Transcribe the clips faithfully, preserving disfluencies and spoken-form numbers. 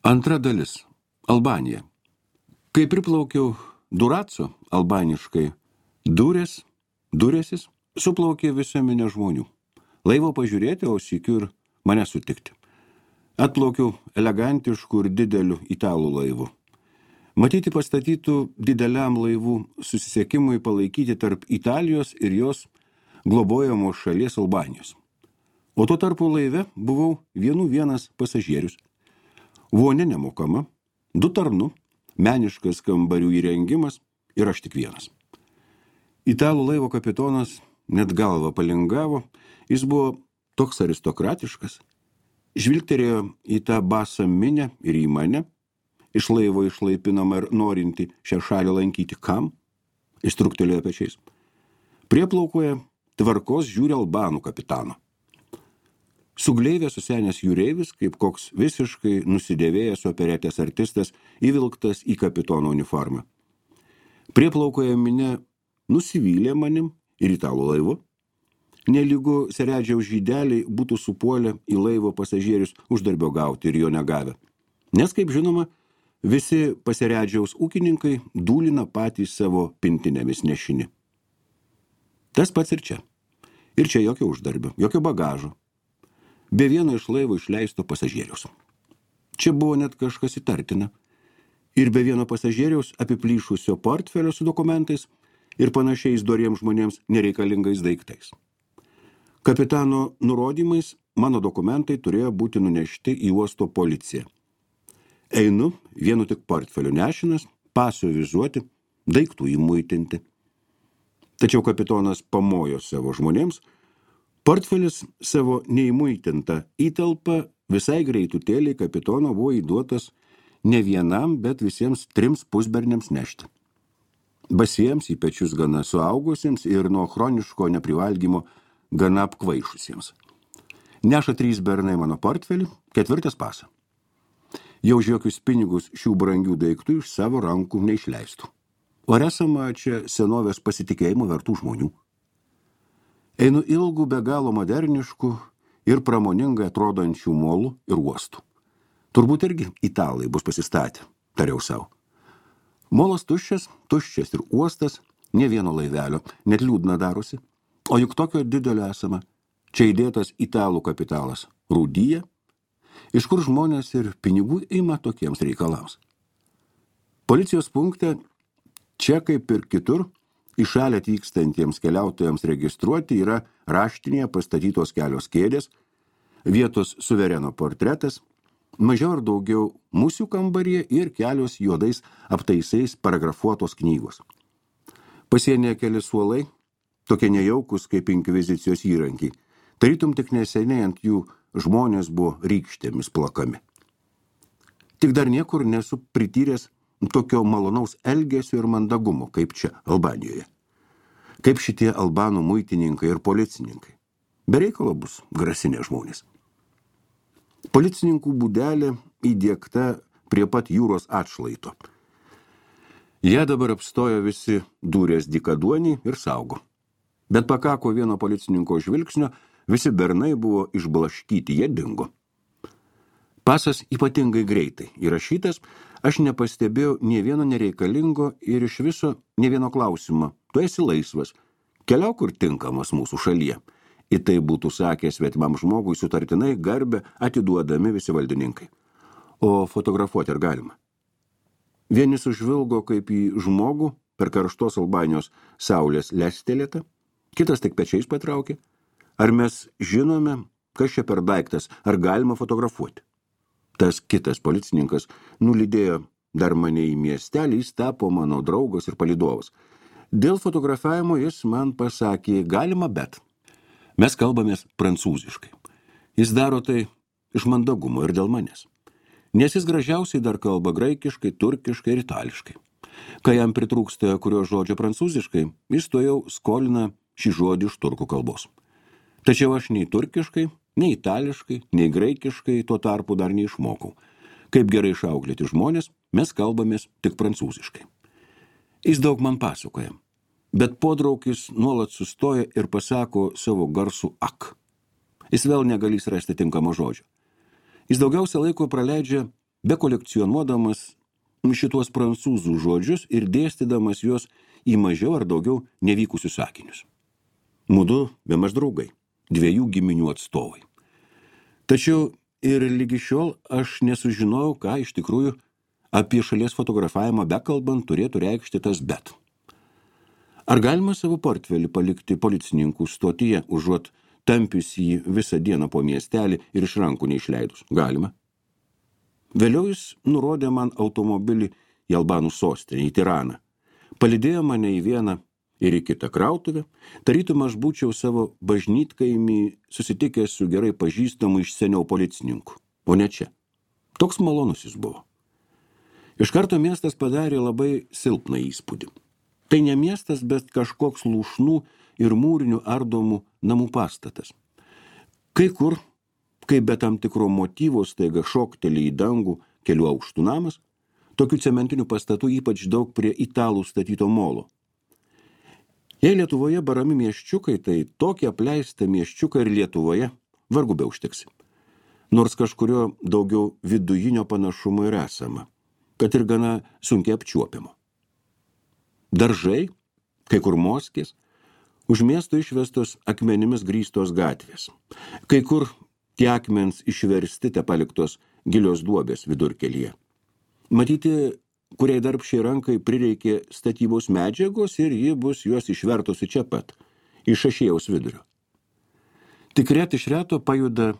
Antra dalis. Albanija. Kai priplaukiau Duraco, albaniškai durės, durėsis, suplaukė visą minę žmonių. Laivo pažiūrėti, o sykiu ir mane sutikti. Atplaukiau elegantišku ir dideliu italų laivu. Matyti pastatytų dideliam laivų susisiekimui palaikyti tarp Italijos ir jos globojamos šalies Albanijos. O tuo tarpu laive buvau vienų vienas pasažierius. Vonė nemokama, du tarnu, meniškas kambarių įrengimas ir aš tik vienas. Italų laivo kapitonas net galvą palingavo, jis buvo toks aristokratiškas, žvilgterėjo į tą basą minę ir į mane, iš laivo išlaipinama ir norinti šią šalį lankyti kam, jis truktelėjo pečiais. Prieplaukoje tvarkos žiūri albanų kapitano. Sugleivė susenęs jūreivis, kaip koks visiškai nusidėvėjęs operetės artistas, įvilktas į kapitono uniformą. Prieplaukoje minė nusivylė manim ir italų laivu. Nelygu seredžiaus žydeliai būtų supuolę į laivo pasažierius uždarbio gauti ir jo negavę. Nes, kaip žinoma, visi paseredžiaus ūkininkai dūlina patys savo pintinėmis nešini. Tas pats ir čia. Ir čia jokio uždarbio, jokio bagažo. Be vieno iš laivo išleisto pasažieriaus. Čia buvo net kažkas įtartina. Ir be vieno pasažieriaus apiplyšusio portfelio su dokumentais ir panašiais doriems žmonėms nereikalingais daiktais. Kapitano nurodymais mano dokumentai turėjo būti nunešti į uosto policiją. Einu, vienu tik portfelio nešinas, paso vizuoti, daiktų įmuitinti. Tačiau kapitonas pamojo savo žmonėms, portfelis savo neįmuitintą įtalpą visai greitutėliai kapitono buvo įduotas ne vienam, bet visiems trims pusberniams nešti. Basiems į pečius gana suaugusiems ir nuo chroniško neprivalgymo gana apkvaišusiems. Neša trys bernai mano portfelį, ketvirtas pasą. Jau už jokius pinigus šių brangių daiktų iš savo rankų neišleistų. O esama čia senovės pasitikėjimo vertų žmonių. Einu ilgų, be galo moderniškų ir pramoningai atrodančių molų ir uostų. Turbūt irgi italai bus pasistatę, tariau savo. Molas tuščias, tuščias ir uostas, ne vieno laivelio, net liūdna darosi. O juk tokio didelio esama. Čia įdėtas italų kapitalas rūdyje, iš kur žmonės ir pinigų ima tokiems reikalams. Policijos punkte, čia kaip ir kitur, į šalį atvykstantiems keliautojams registruoti yra raštinėje pastatytos kelios kėdės, vietos suvereno portretas, mažiau ar daugiau musių kambaryje ir kelios juodais aptaisais paragrafuotos knygos. Pasienyje keli suolai, tokie nejaukus kaip inkvizicijos įrankiai, tarytum tik neseniai ant jų žmonės buvo rykštėmis plakami. Tik dar niekur nesu prityręs tokio malonaus elgesio ir mandagumo, kaip čia, Albanijoje. Kaip šitie albanų muitininkai ir policininkai. Be reikalo bus grasinė žmonės. Policininkų būdelė įdiegta prie pat jūros atšlaito. Jie dabar apstojo visi durės dykaduoniai ir saugo. Bet pakako vieno policininko žvilgsnio, visi bernai buvo išblaškyti, jie dingo. Pasas ypatingai greitai įrašytas, aš nepastebėjau nė vieno nereikalingo ir iš viso nė vieno klausimo. Tu esi laisvas, keliauk kur tinkamas mūsų šalyje. Į tai būtų sakęs svetimam žmogui sutartinai garbę atiduodami visi valdininkai. O fotografuoti ar galima? Vieni sužvilgo kaip į žmogų per karštos Albanijos saulės lestelėtą, kitas tik pečiais patraukė. Ar mes žinome, kas čia per daiktas, ar galima fotografuoti? Tas kitas policininkas nulydėjo dar mane į miestelį, jis tapo mano draugas ir palydovas. Dėl fotografavimo jis man pasakė, galima, bet. Mes kalbamės prancūziškai. Jis daro tai iš mandagumo ir dėl manęs. Nes jis gražiausiai dar kalba graikiškai, turkiškai ir itališkai. Kai jam pritrūksta kurio žodžio prancūziškai, jis to jau skolina šį žodį iš turkų kalbos. Tačiau aš nei turkiškai, nei itališkai, nei graikiškai tuo tarpu dar neišmokau. Kaip gerai išauklėti žmonės, mes kalbamės tik prancūziškai. Jis daug man pasakoja, bet podraukis nuolat sustoja ir pasako savo garsų ak. Jis vėl negalys rasti tinkamo žodžio. Jis daugiausia laiko praleidžia bekolekcionuodamas šituos prancūzų žodžius ir dėstydamas juos į mažiau ar daugiau nevykusius sakinius. Mudu bemaž draugai, dviejų giminių atstovai. Tačiau ir lygi šiol aš nesužinojau, ką iš tikrųjų apie šalies fotografavimą bekalbant turėtų reikšti tas bet. Ar galima savo portfelį palikti policininkų stotyje, užuot tampius jį visą dieną po miestelį ir iš rankų neišleidus? Galima. Vėliau jis nurodė man automobilį į Albanų sostinę, į Tiraną. Palydėjo mane į vieną ir į kitą krautuvę, tarytum aš būčiau savo bažnytkaimį susitikęs su gerai pažįstamu iš seniau policininku, o ne čia. Toks malonus jis buvo. Iš karto miestas padarė labai silpną įspūdį. Tai ne miestas, bet kažkoks lūšnų ir mūrinių ardomų namų pastatas. Kai kur, kai be tam tikro motyvo staiga šokteli į dangų kelių aukštų namas, tokių cementinių pastatų ypač daug prie italų statyto molo. Jei Lietuvoje barami miesčiukai, tai tokį apleistą miesčiuką ir Lietuvoje vargu be užtiksi. Nors kažkurio daugiau vidujinio panašumo ir esama, kad ir gana sunkiai apčiuopiamo. Daržai, kai kur moskės, už miesto išvestos akmenimis grįstos gatvės. Kai kur tie akmens išversti te paliktos gilios duobės vidurkelyje. Matyti, kuriai darbščiai rankai prireikė statybos medžiagos ir ji bus juos išvertusi čia pat, iš Šašėjaus vidurio. Tik ret iš reto pajuda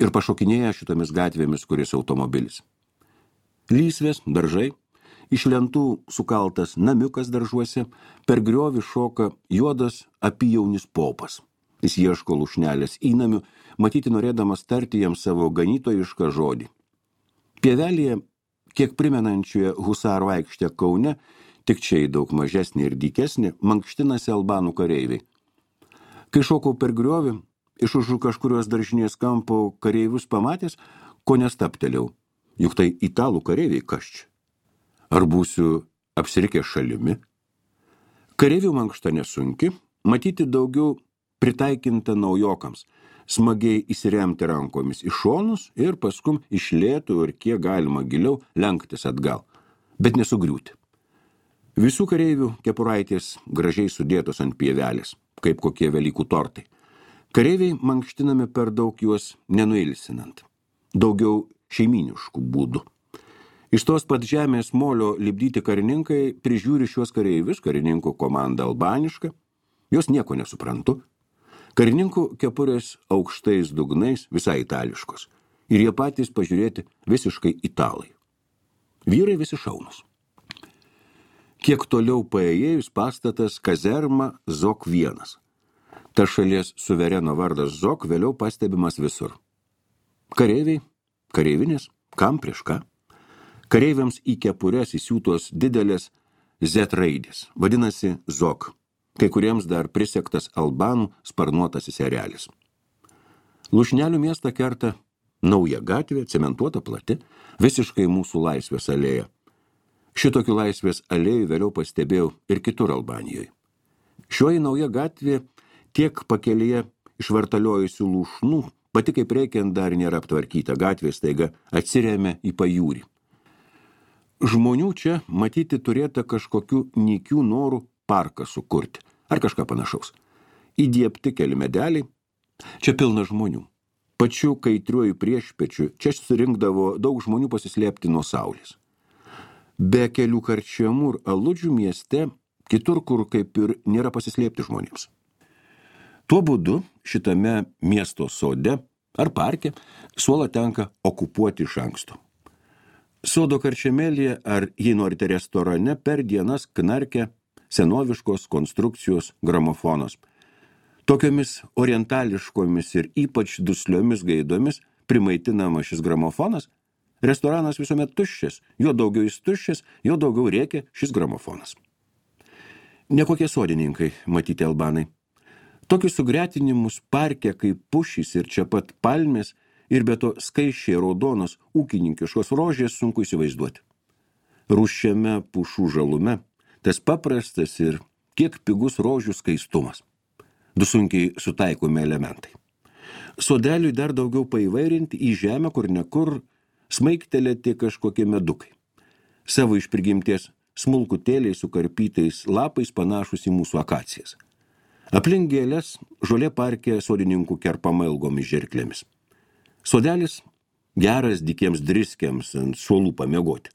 ir pašokinėja šitomis gatvėmis kuris automobilis. Lysvės, daržai, iš lentų sukaltas namiukas daržuose, per griovį šoka juodas apijaunis popas. Jis ieško lūšnelės įnamių, matyti norėdamas tarti jam savo ganytojišką žodį. Pievelėje, kiek primenančioje husarų aikštę Kaune, tik čia į daug mažesnį ir dykesnį, mankštinasi albanų kareiviai. Kai šokau per griovį, iš už kažkurios daržinės kampo kareivius pamatęs, ko nestaptelėjau, juk tai italų kareiviai kas čia. Ar būsiu apsirikęs šalimi? Kareivių mankšta nesunki, matyti daugiau pritaikinta naujokams, smagiai įsiremti rankomis į šonus ir paskum iš lėtų ir kiek galima giliau lenktis atgal, bet nesugriūti. Visų kareivių kepuraitės gražiai sudėtos ant pievelės, kaip kokie Velykų tortai. Kareiviai mankštinami per daug juos nenuilsinant, daugiau šeiminiškų būdų. Iš tos pat žemės molio lipdyti karininkai prižiūri šiuos kareivius, karininkų komanda albaniška, jos nieko nesuprantu. Karininkų kepurės aukštais dugnais visai itališkos ir jie patys pažiūrėti visiškai italai. Vyrai visi šaunus. Kiek toliau paėjėjus pastatas kazerma Zok vienas. Ta šalies suvereno vardas Zok vėliau pastebimas visur. Kareiviai, kareivinės, kam prieš ką? Kareiviams į kepures įsiūtos didelės Z raidės, vadinasi Zok. Kai kuriems dar prisektas albanų sparnuotasis erelis. Lūšnelių miestą kerta nauja gatvė, cementuota plati, visiškai mūsų laisvės alėja. Šitokių laisvės alėjų vėliau pastebėjau ir kitur Albanijoje. Šioji nauja gatvė tiek pakelyje išvartaliojusių lūšnų, pati kaip reikiant dar nėra aptvarkyta, gatvė staiga atsiremia į pajūrį. Žmonių čia matyti turėta kažkokių nykių norų parką sukurti, ar kažką panašaus. Įdiepti keli medeliai, čia pilna žmonių. Pačiu kaitriuoju priešpečiu čia surinkdavo daug žmonių pasislėpti nuo saulės. Be kelių karčiamų ir aludžių mieste, kitur kur kaip ir nėra pasislėpti žmonėms. Tuo būdu šitame miesto sode ar parke suolą tenka okupuoti iš anksto. Sodo karčiamėlyje ar, jei norite restorane, per dienas knarkia senoviškos konstrukcijos gramofonas. Tokiomis orientališkomis ir ypač dusliomis gaidomis primaitinama šis gramofonas, restoranas visuomet tuščias, jo daugiau jis tuščias, jo daugiau rėkia šis gramofonas. Nekokie sodininkai, matyti albanai. Tokius sugretinimus parke kaip pušys ir čia pat palmės ir be to skaičiai raudonos ūkininkiškos rožės sunku įsivaizduoti. Rūsčiame pušų žalume tas paprastas ir kiek pigus rožių skaistumas. Du sunkiai sutaikomi elementai. Sodeliui dar daugiau paįvairinti į žemę, kur nekur smaigtelėti kažkokie medukai. Savo iš prigimties smulkutėliai su karpytais lapais panašus į mūsų akacijas. Aplink gėlės žolė parke sodininkų kerpama ilgomis žirklėmis. Sodelis geras dikiems driskiams ant suolų pamiegoti.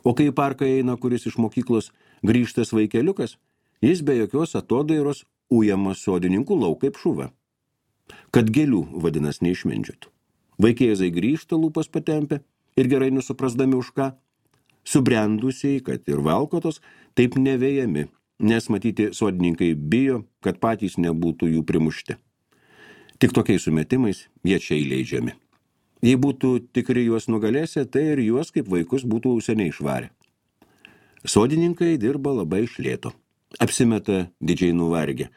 O kai į parką eina kuris iš mokyklos grįžtas vaikeliukas, jis be jokios atodairos ujamas sodininkų lauk kaip šuva. Kad gėlių vadinas neišmindžiotų. Vaikėzai grįžta lūpas patempę ir gerai nesuprasdami už ką. Subrendusiai, kad ir valkotos, taip nevėjami, nes matyti sodininkai bijo, kad patys nebūtų jų primušti. Tik tokiais sumetimais jie čia įleidžiami. Jei būtų tikri juos nugalėsę, tai ir juos kaip vaikus būtų seniai išvarę. Sodininkai dirba labai iš lėto. Apsimeta didžiai nuvargę.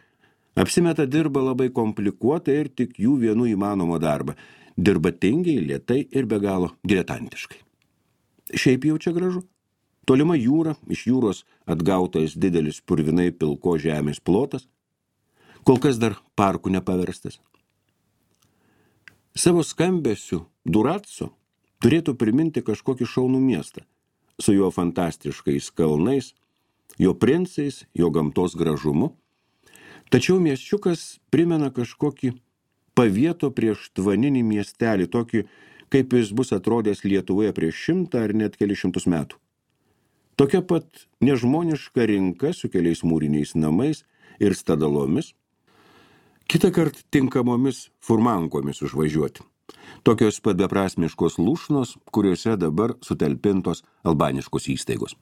Apsimeta dirba labai komplikuotą ir tik jų vienų įmanomą darbą. Dirba tingiai, lėtai ir be galo diletantiškai. Šiaip jau čia gražu. Tolima jūra, iš jūros atgautas didelis purvinai pilko žemės plotas, kol kas dar parkų nepaverstas. Savo skambesiu Durazzo turėtų priminti kažkokį šaunų miestą, su jo fantastiškais kalnais, jo princais, jo gamtos gražumu. Tačiau miesčiukas primena kažkokį pavieto prieš tvaninį miestelį, tokį, kaip jis bus atrodęs Lietuvoje prieš šimtą ar net keli šimtus metų. Tokia pat nežmoniška rinka su keliais mūriniais namais ir stadalomis, kitą kart tinkamomis furmankomis užvažiuoti. Tokios pat beprasmiškos lūšnos, kuriuose dabar sutalpintos albaniškos įstaigos.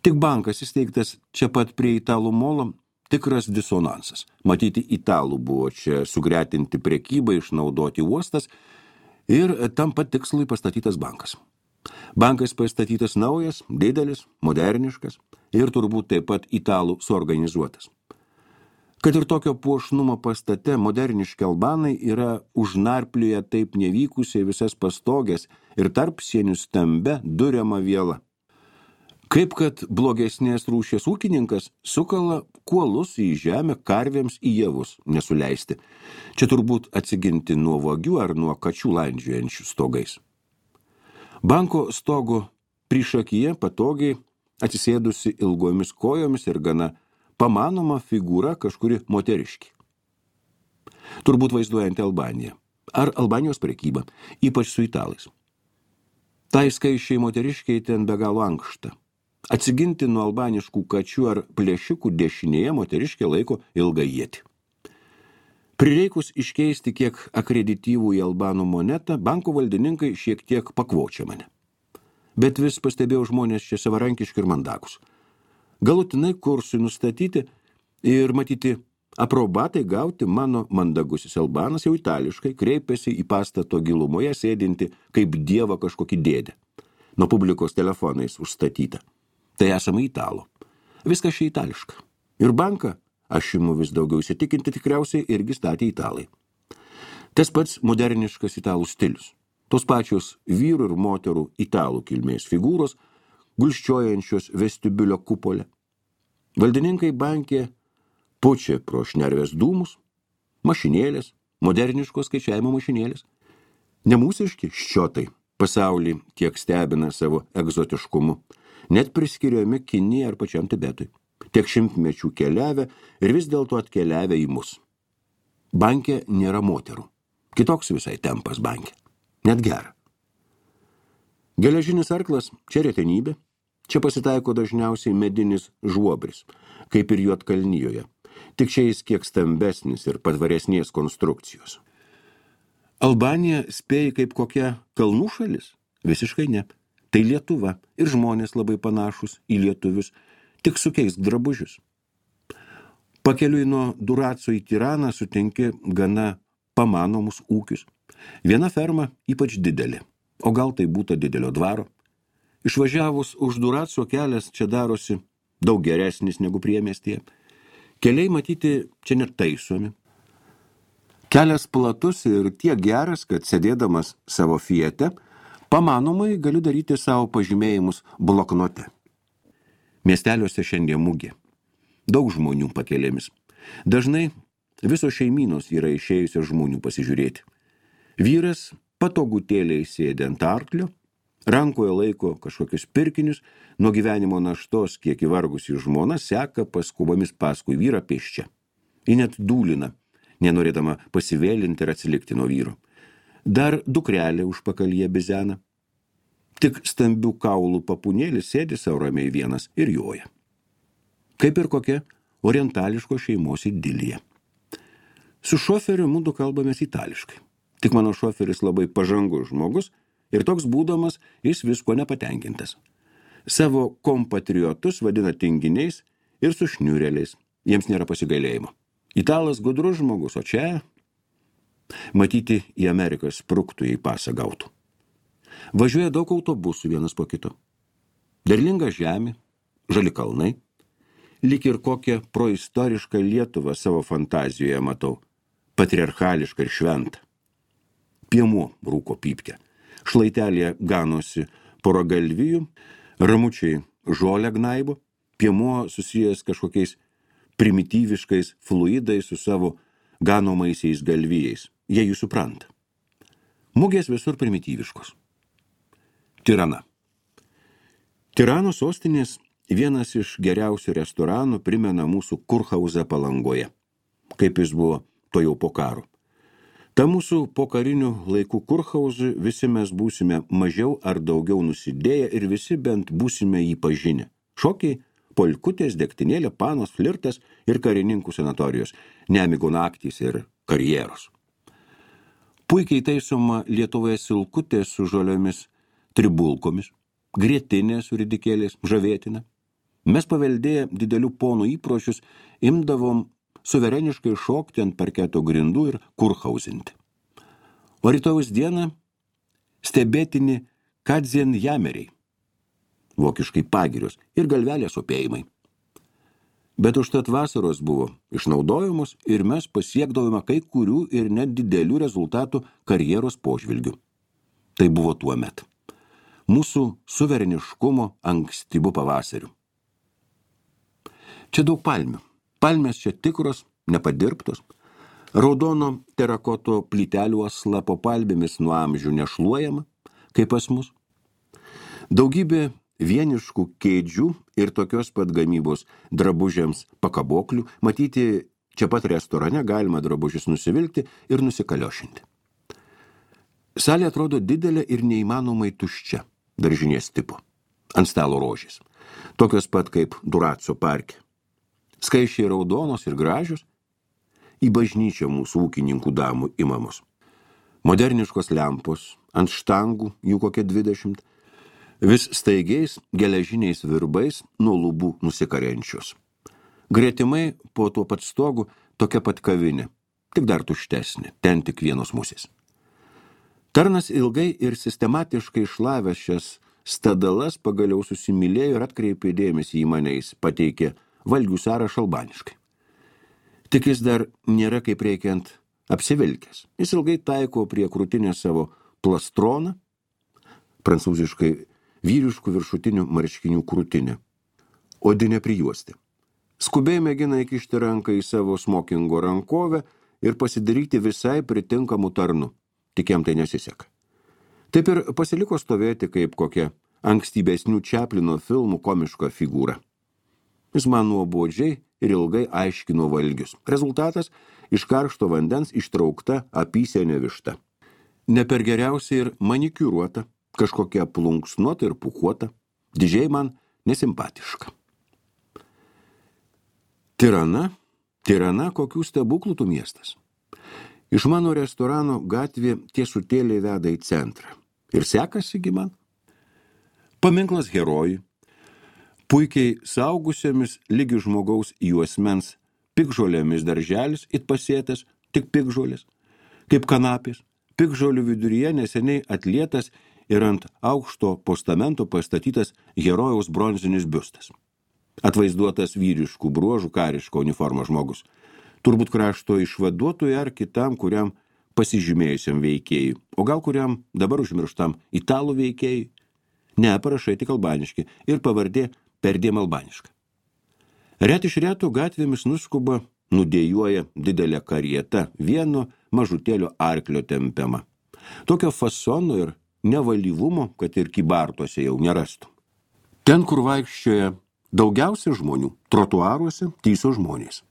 Tik bankas įsteigtas čia pat prie italų molo, tikras disonansas. Matyti italų buvo čia sugretinti prekybą, išnaudoti uostas ir tam pat tikslui pastatytas bankas. Bankas pastatytas naujas, didelis, moderniškas ir turbūt taip pat italų suorganizuotas. Kad ir tokio puošnumo pastate moderniški albanai yra užnarplioję taip nevykusiai visas pastogės ir tarp sienių stambia duriama viela. Kaip kad blogesnės rūšies ūkininkas sukala kuolus į žemę karvėms į javus nesuleisti. Čia turbūt atsiginti nuo vagių ar nuo kačių landžiojančių stogais. Banko stogo priešakyje patogiai atsisėdusi ilgomis kojomis ir gana pamanoma figūra kažkuri moteriški. Turbūt vaizduojanti Albaniją ar Albanijos prekybą, ypač su italais. Tai skaičiai moteriškiai ten be galo ankšta. Atsiginti nuo albaniškų kačių ar plėšikų dešinėje moteriškė laiko ilgą ietį. Prireikus iškeisti kiek akredityvų į albanų monetą, banko valdininkai šiek tiek pakvočia mane. Bet vis pastebėjau žmonės čia savarankiški ir mandagus. Galutinai kursui nustatyti ir matyti aprobatai gauti mano mandagusis albanas jau itališkai kreipėsi į pastato gilumoje sėdinti kaip dievą kažkokį dėdę. Nuo publikos telefonais užstatyta. Tai esama italo. Viskas čia itališka. Ir banką, aš imu vis daugiau įsitikinti, tikriausiai irgi statė italai. Tas pats moderniškas italų stilius. Tos pačios vyrų ir moterų italų kilmės figūros, gulščiojančios vestibiulio kupolę. Valdininkai bankė pučia pro šnervės dūmus, mašinėlės, moderniškos skaičiavimo mašinėlės. Nemūsiški ščiotai pasaulį tiek stebina savo egzotiškumu, net priskiriami Kinijai ar pačiam Tibetui. Tiek šimtmečių keliavę ir vis dėlto atkeliavę į mus. Banke nėra moterų. Kitoks visai tempas banke. Net gera. Geležinis arklas čia retenybė. Čia pasitaiko dažniausiai medinis žuobris, kaip ir Juodkalnijoje. Tik čia jis kiek stambesnis ir patvaresnės konstrukcijos. Albanija spėja kaip kokia kalnų šalis? Visiškai ne. Tai Lietuva ir žmonės labai panašus į lietuvius, tik sukeisk drabužius. Pakeliui nuo Durazzo į Tiraną sutinki gana pamanomus ūkius. Viena ferma ypač didelė, o gal tai būta didelio dvaro. Išvažiavus už Durazzo kelias čia darosi daug geresnis negu priemiestyje. Keliai matyti čia net taisomi. Kelias platus ir tiek geras, kad sėdėdamas savo Fiate, pamanomai galiu daryti savo pažymėjimus bloknote. Miesteliuose šiandien mugė. Daug žmonių pakelėmis. Dažnai visos šeimynos yra išėjusios žmonių pasižiūrėti. Vyras patogutėliai sėdi ant arklio, rankoje laiko kažkokius pirkinius, nuo gyvenimo naštos, kiek įvargusi žmona, seka paskubomis paskui vyrą pėsčia. Ji net dūlina, nenorėdama pasivėlinti ir atsilikti nuo vyro. Dar dukrelė užpakalyje bizena. Tik stambių kaulų papunėlis sėdi sau ramiai vienas ir joja. Kaip ir kokia orientališko šeimos idilija. Su šoferiu mudu kalbamės itališkai. Tik mano šoferis labai pažangus žmogus ir toks būdamas jis visko nepatenkintas. Savo kompatriotus vadina tinginiais ir sušniurėliais. Jiems nėra pasigailėjimo. Italas gudrus žmogus, o čia matyti į Ameriką spruktų, jei pasą gautų. Važiuoja daug autobusų vienas po kito. Derlinga žemė, žali kalnai. Lyg ir kokią proistorišką Lietuvą savo fantazijoje matau. Patriarchališką ir šventą. Piemuo rūko pypkę. Šlaitelėje ganosi pora galvijų, ramučiai žolę gnaibo, piemuo susijęs kažkokiais primityviškais fluidais su savo ganomaisiais galvijais. Jie jų supranta. Mugės visur primityviškos. Tirana. Tirano sostinės vienas iš geriausių restoranų primena mūsų Kurhauzą Palangoje, kaip jis buvo to jau po karo. Ta mūsų pokarinių laikų Kurhauzų visi mes būsime mažiau ar daugiau nusidėję ir visi bent būsime jį pažinę. Šokiai, polkutės, degtinėlė, panos, flirtas ir karininkų sanatorijos, nemigo naktys ir karjeros. Puikiai taisoma Lietuvoje silkutė su žoliomis tribulkomis, grietinė su ridikėliais, žavėtina. Mes paveldėję didelių ponų įpročius imdavom suvereniškai šokti ant parketo grindų ir kurhausinti. O rytojaus dieną stebėtini kadzenjameriai, vokiškai pagirios ir galvelės opėjimai. Bet užtat vasaros buvo išnaudojamos ir mes pasiekdavome kai kurių ir net didelių rezultatų karjeros požvilgių. Tai buvo tuo met. Mūsų suvereniškumo ankstyvų pavasarių. Čia daug palmių. Palmės čia tikros, nepadirbtos. Raudono terakoto plytelių asla po palmėmis nuo amžių nešluojama, kaip pas mus. Daugybė vieniškų kėdžių ir tokios pat gamybos drabužiams pakaboklių, matyti čia pat restorane galima drabužius nusivilkti ir nusikaliošinti. Salė atrodo didelė ir neįmanomai tuščia, daržinės tipo, ant stalo rožės, tokios pat kaip Duraco parke. Skaičiai raudonos ir gražios, į bažnyčią mūsų ūkininkų damų imamos. Moderniškos lempos, ant štangų, jų kokie dvidešimt, vis staigiais geležiniais virbais nuo lubų nusikarenčios. Gretimai po tuo pat stogu tokia pat kavinė, tik dar tuštesnė, ten tik vienos musės. Tarnas ilgai ir sistematiškai šlavęs šias stadalas pagaliau susimylėjo ir atkreipė dėmesį į mane, jis pateikė valgių sąrašą albaniškai. Tik jis dar nėra kaip reikiant apsivilkęs. Jis ilgai taiko prie krūtinės savo plastroną, prancūziškai vyriškų viršutinių marškinių krūtinę, odinę prijuostę. Skubiai mėgina įkišti ranką į savo smokingo rankovę ir pasidaryti visai pritinkamų tarnų. Tik jam tai nesiseka. Taip ir pasiliko stovėti kaip kokia ankstybesnių Čaplino filmų komiška figūra. Jis man nuobodžiai ir ilgai aiškino valgius. Rezultatas – iš karšto vandens ištraukta apysenė višta. Ne per geriausiai ir manikiūruota, kažkokia plunksnuota ir pūkuota, didžiai man nesimpatiška. Tirana, Tirana kokių stebuklų tų miestas. Iš mano restorano gatvė tiesutėliai veda į centrą. Ir sekasi gi man. Paminklas herojui, puikiai saugusiamis lygi žmogaus juosmens pikžolėmis darželis, it pasėtas, tik pikžolės, kaip kanapės, pikžolių viduryje neseniai atlietas ir ant aukšto postamento pastatytas herojaus bronzinis biustas. Atvaizduotas vyriškų bruožų kariško uniformos žmogus. Turbūt krašto išvaduotojui ar kitam, kuriam pasižymėjusiam veikėjui, o gal kuriam dabar užmirštam italų veikėjui. Ne, parašai tik albaniški ir pavardė perdėm albaniška. Ret iš retų gatvėmis nuskuba, nudėjuoja didelė karieta, vieno mažutėlio arklio tempiama. Tokio fasono ir nevalyvumo, kad ir kybartuose jau nerastų. Ten, kur vaikščioja daugiausia žmonių, trotuaruose tyso žmonės.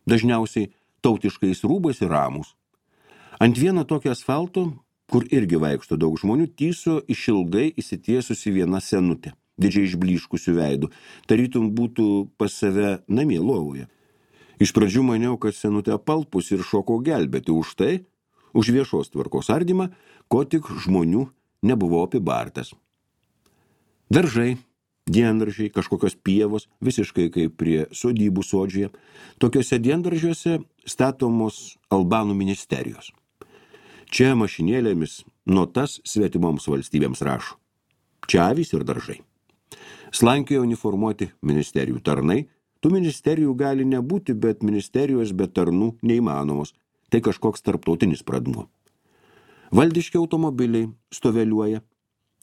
Dažniausiai tautiškais rūbais ir ramus. Ant vieno tokio asfalto, kur irgi vaikšto daug žmonių, tyso išilgai įsitiesusi viena senutė, didžiai išblyškusių veidų, tarytum būtų pas save namie lovoje. Iš pradžių maniau, kad senutė apalpus ir šoko gelbėti už tai, už viešos tvarkos ardymą, ko tik žmonių nebuvo apibartas. Daržai, diendaržiai, kažkokios pievos, visiškai kaip prie sodybų sodžioje, tokiuose diendaržiuose statomos albanų ministerijos. Čia mašinėlėmis notas svetimoms valstybėms rašo. Čia avys ir daržai. Slankioja uniformuoti ministerijų tarnai. Tų ministerijų gali nebūti, bet ministerijos be tarnų neįmanomos. Tai kažkoks tarptautinis pradmuo. Valdiški automobiliai stoveliuoja.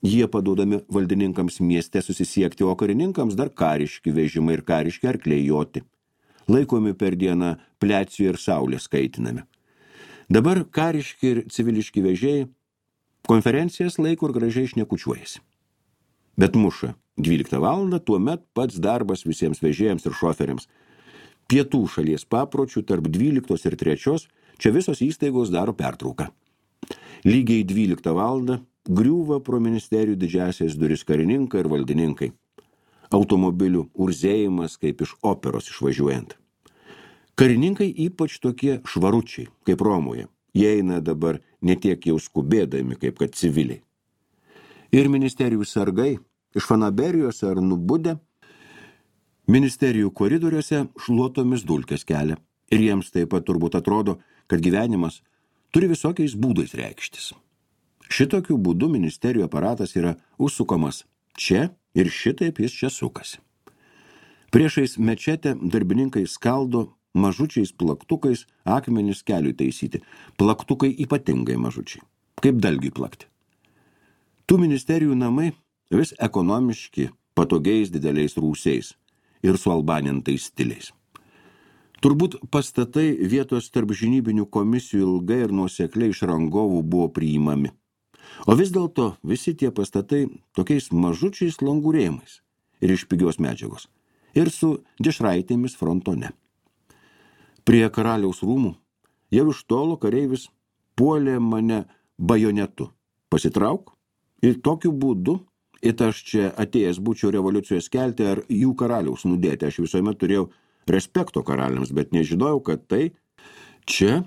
Jie paduodami valdininkams mieste susisiekti, o karininkams dar kariški vežimai ir kariški arkliai joti. Laikomi per dieną plecijų ir saulės kaitinami. Dabar kariški ir civiliški vežėjai konferencijas laiko ir gražiai šnekučiuojasi. Bet muša dvyliktą valandą, tuomet pats darbas visiems vežėjams ir šoferiams. Pietų šalies papročių tarp dvyliktos ir trečios čia visos įstaigos daro pertrauką. Lygiai dvyliktą valandą griūva pro ministerijų didžiasias duris karininkai ir valdininkai. Automobilių urzėjimas kaip iš operos išvažiuojant. Karininkai ypač tokie švaručiai, kaip Romoje. Jie eina dabar ne tiek jau skubėdami, kaip kad civiliai. Ir ministerijų sargai iš fanaberijose ar nubudę ministerijų koridoriuose šluotomis dulkes kelia. Ir jiems taip pat turbūt atrodo, kad gyvenimas turi visokiais būdais reikštis. Šitokiu būdu ministerijų aparatas yra užsukamas čia ir šitaip jis čia sukasi. Priešais mečetę darbininkai skaldo mažučiais plaktukais akmenis keliui taisyti. Plaktukai ypatingai mažučiai, kaip dalgiui plakti. Tų ministerijų namai vis ekonomiški, patogiais dideliais rūsiais ir su albanintais stiliais. Turbūt pastatai vietos tarp žinybinių komisijų ilgai ir nuosekliai iš rangovų buvo priimami. O vis dėlto visi tie pastatai tokiais mažučiais langurėjimais ir iš pigios medžiagos ir su dešraitėmis frontone. Prie karaliaus rūmų jau iš tolo kareivis puolė mane bajonetu. Pasitrauk ir tokiu būdu, it aš čia atėjęs būčiau revoliucijos kelti ar jų karaliaus nudėti. Aš visuomet turėjau respekto karaliams, bet nežinojau, kad tai čia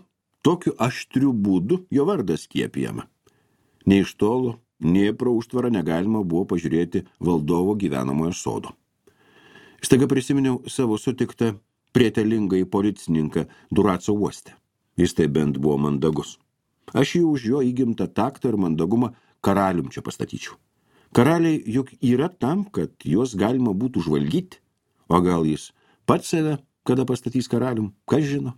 tokiu aštriu būdu jo vardas skiepijama. Nei iš tolo, nei pro užtvarą negalima buvo pažiūrėti valdovo gyvenamojo sodo. Staiga prisiminiau savo sutiktą prietelingai policininką Duraco uoste. Jis tai bent buvo mandagus. Aš jį už jo įgimtą taktą ir mandagumą karalium čia pastatyčiau. Karaliai juk yra tam, kad juos galima būtų žvalgyti, o gal jis pats save kada pastatys karalium, kas žino.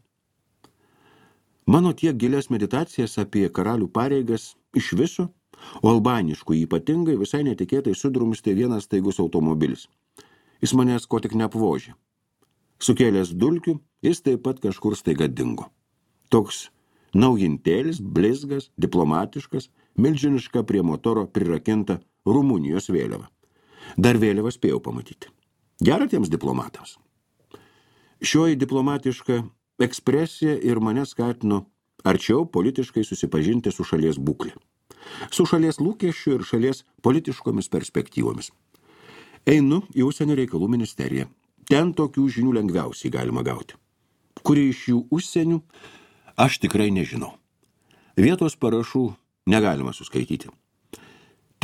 Mano tiek gilias meditacijas apie karalių pareigas iš viso, o albaniškų ypatingai visai netikėtai sudrumstė vienas staigus automobilis. Jis manęs ko tik neapvožė. Sukėlęs dulkių, jis taip pat kažkur staiga dingo. Toks naujintėlis, blizgas, diplomatiškas, milžiniška prie motoro prirakinta Rumunijos vėliava. Dar vėliavą spėjau pamatyti. Gera tiems diplomatams. Šioji diplomatiška ekspresija ir mane skatino arčiau politiškai susipažinti su šalies būklė. Su šalies lūkesčiu ir šalies politiškomis perspektyvomis. Einu į užsienio reikalų ministeriją. Ten tokių žinių lengviausiai galima gauti. Kuri iš jų užsienių, aš tikrai nežinau. Vietos parašų negalima suskaityti.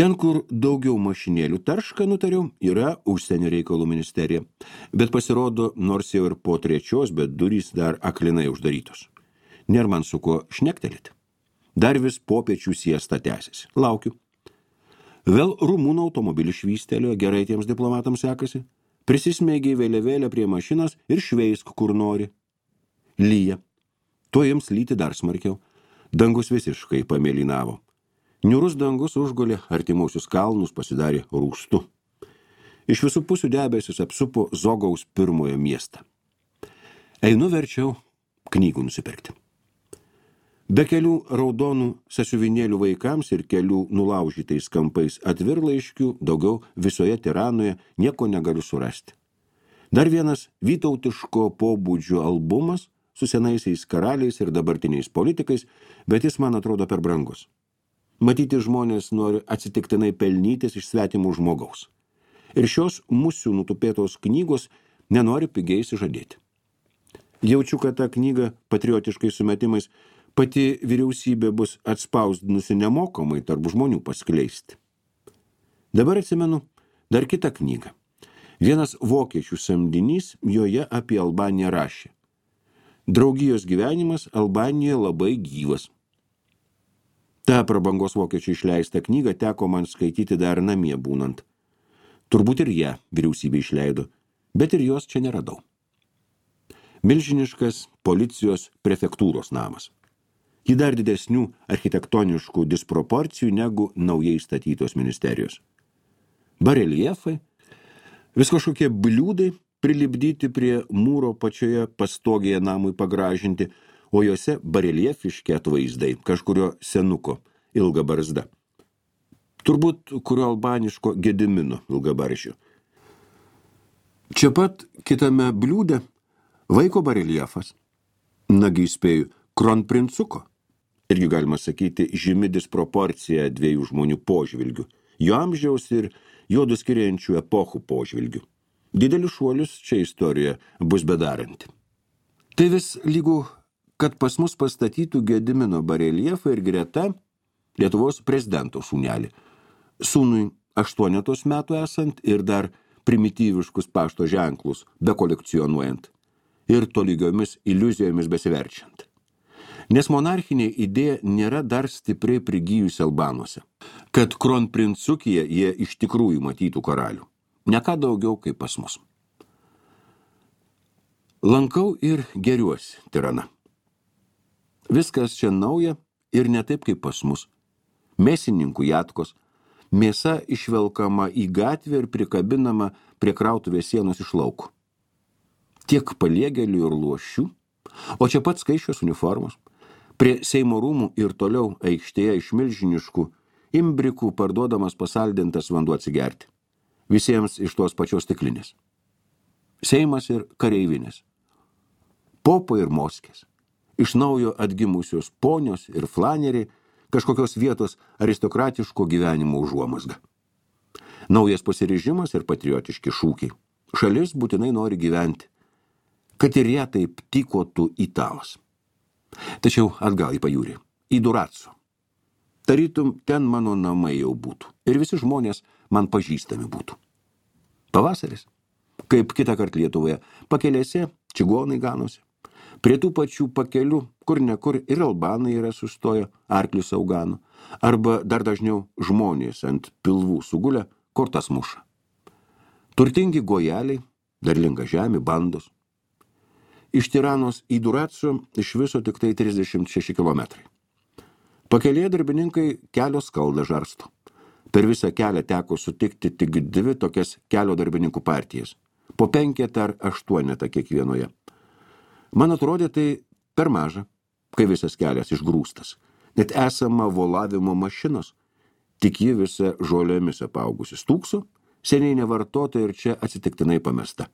Ten, kur daugiau mašinėlių tarška, nutariau, yra užsienio reikalų ministerija. Bet pasirodo, nors jau ir po trečios, bet durys dar aklinai uždarytos. Nėr man su ko šnektelėti. Dar vis popiečių siesta tęsiasi. Laukiu. Vėl rumūnų automobilį švystelio, gerai tiems diplomatams sekasi. Prisismeigiai vėliavėlę prie mašinos ir šveisk, kur nori. Lyja. Tuo jiems lyti dar smarkiau. Dangus visiškai pamėlynavo. Niurus dangus užgulė artimausius kalnus, pasidarė rūstu. Iš visų pusių debesis apsupo Zogaus pirmojo miestą. Einu verčiau knygų nusipirkti. Be kelių raudonų sąsiuvinėlių vaikams ir kelių nulaužytais kampais atvirlaiškių daugiau visoje Tiranoje nieko negaliu surasti. Dar vienas vytautiško pobūdžio albumas su senaisiais karaliais ir dabartiniais politikais, bet jis man atrodo per brangus. Matyti žmonės nori atsitiktinai pelnytis iš svetimų žmogaus. Ir šios musių nutupėtos knygos nenori pigiai išsižadėti. Jaučiu, kad tą knygą patriotiškai sumetimais pati vyriausybė bus atspausdinusi nemokamai tarp žmonių paskleisti. Dabar atsimenu dar kitą knygą. Vienas vokiečių samdinys joje apie Albaniją rašė. Draugijos gyvenimas Albanijoje labai gyvas. Ta prabangos vokiečių išleistą knygą teko man skaityti dar namie būnant. Turbūt ir ją vyriausybė išleido, bet ir jos čia neradau. Milžiniškas policijos prefektūros namas. Ji dar didesnių architektoniškų disproporcijų negu naujai statytos ministerijos. Bareljefai, vis kažkokie bliūdai prilipdyti prie mūro pačioje pastogėje namui pagražinti, o juose bareljefiški atvaizdai kažkurio senuko ilga barzda. Turbūt kurio albaniško Gedimino ilgabarzdžio. Čia pat kitame bliūde vaiko bareljefas, nagi įspėju, kronprincuko. Irgi galima sakyti žymi disproporcija dviejų žmonių požvilgių, jo amžiaus ir juodų skiriančių epochų požvilgių. Didelis šuolis čia istorija bus bedaranti. Tai vis lygu, kad pas mus pastatytų Gedimino bareljefą ir greta Lietuvos prezidento sūnelį. Sūnui aštuonetos metų esant ir dar primityviškus pašto ženklus bekolekcionuojant ir tolygiomis iliuzijomis besiverčiant. Nes monarchinė idėja nėra dar stipriai prigijusi Albanuose, kad kronprincukyje jie iš tikrųjų matytų karalių. Ne ką daugiau kaip pas mus. Lankau ir geriuosi Tirana. Viskas čia nauja ir ne taip kaip pas mus. Mėsininkų jatkos, mėsa išvelkama į gatvę ir prikabinama prie krautuvės sienos iš lauko. Tiek paliegėlių ir luošių, o čia pat skaičios uniformos. Prie Seimo rūmų ir toliau aikštėje iš milžiniškų imbrikų parduodamas pasaldintas vanduo atsigerti. Visiems iš tos pačios stiklinės. Seimas ir kareivinės. Popo ir moskės. Iš naujo atgimusios ponios ir flaneriai, kažkokios vietos aristokratiško gyvenimo užuomazga. Naujas pasiryžimas ir patriotiški šūkiai. Šalis būtinai nori gyventi, kad ir ją taip tykotų italas. Tačiau atgal į pajūrį, į Duraco. Tarytum, ten mano namai jau būtų ir visi žmonės man pažįstami būtų. Pavasaris, kaip kitą kartą Lietuvoje, pakelėse čigonai ganosi. Prie tų pačių pakelių, kur ne kur ir albanai yra sustoję, arklius augano, arba dar dažniau žmonės ant pilvų sugulę, kortas muša. Turtingi gojeliai, derlinga žemė, bandos. Iš Tiranos į Duraco iš viso tik tai trisdešimt šeši kilometrai. Pakelėje darbininkai kelio skaldą žarsto. Per visą kelią teko sutikti tik dvi tokias kelio darbininkų partijas. Po penketą ar aštuonetą kiekvienoje. Man atrodė tai per maža, kai visas kelias išgrūstas. Net esama volavimo mašinos, tik ji visa žolėmis apaugusi stūkso, seniai nevartota ir čia atsitiktinai pamesta.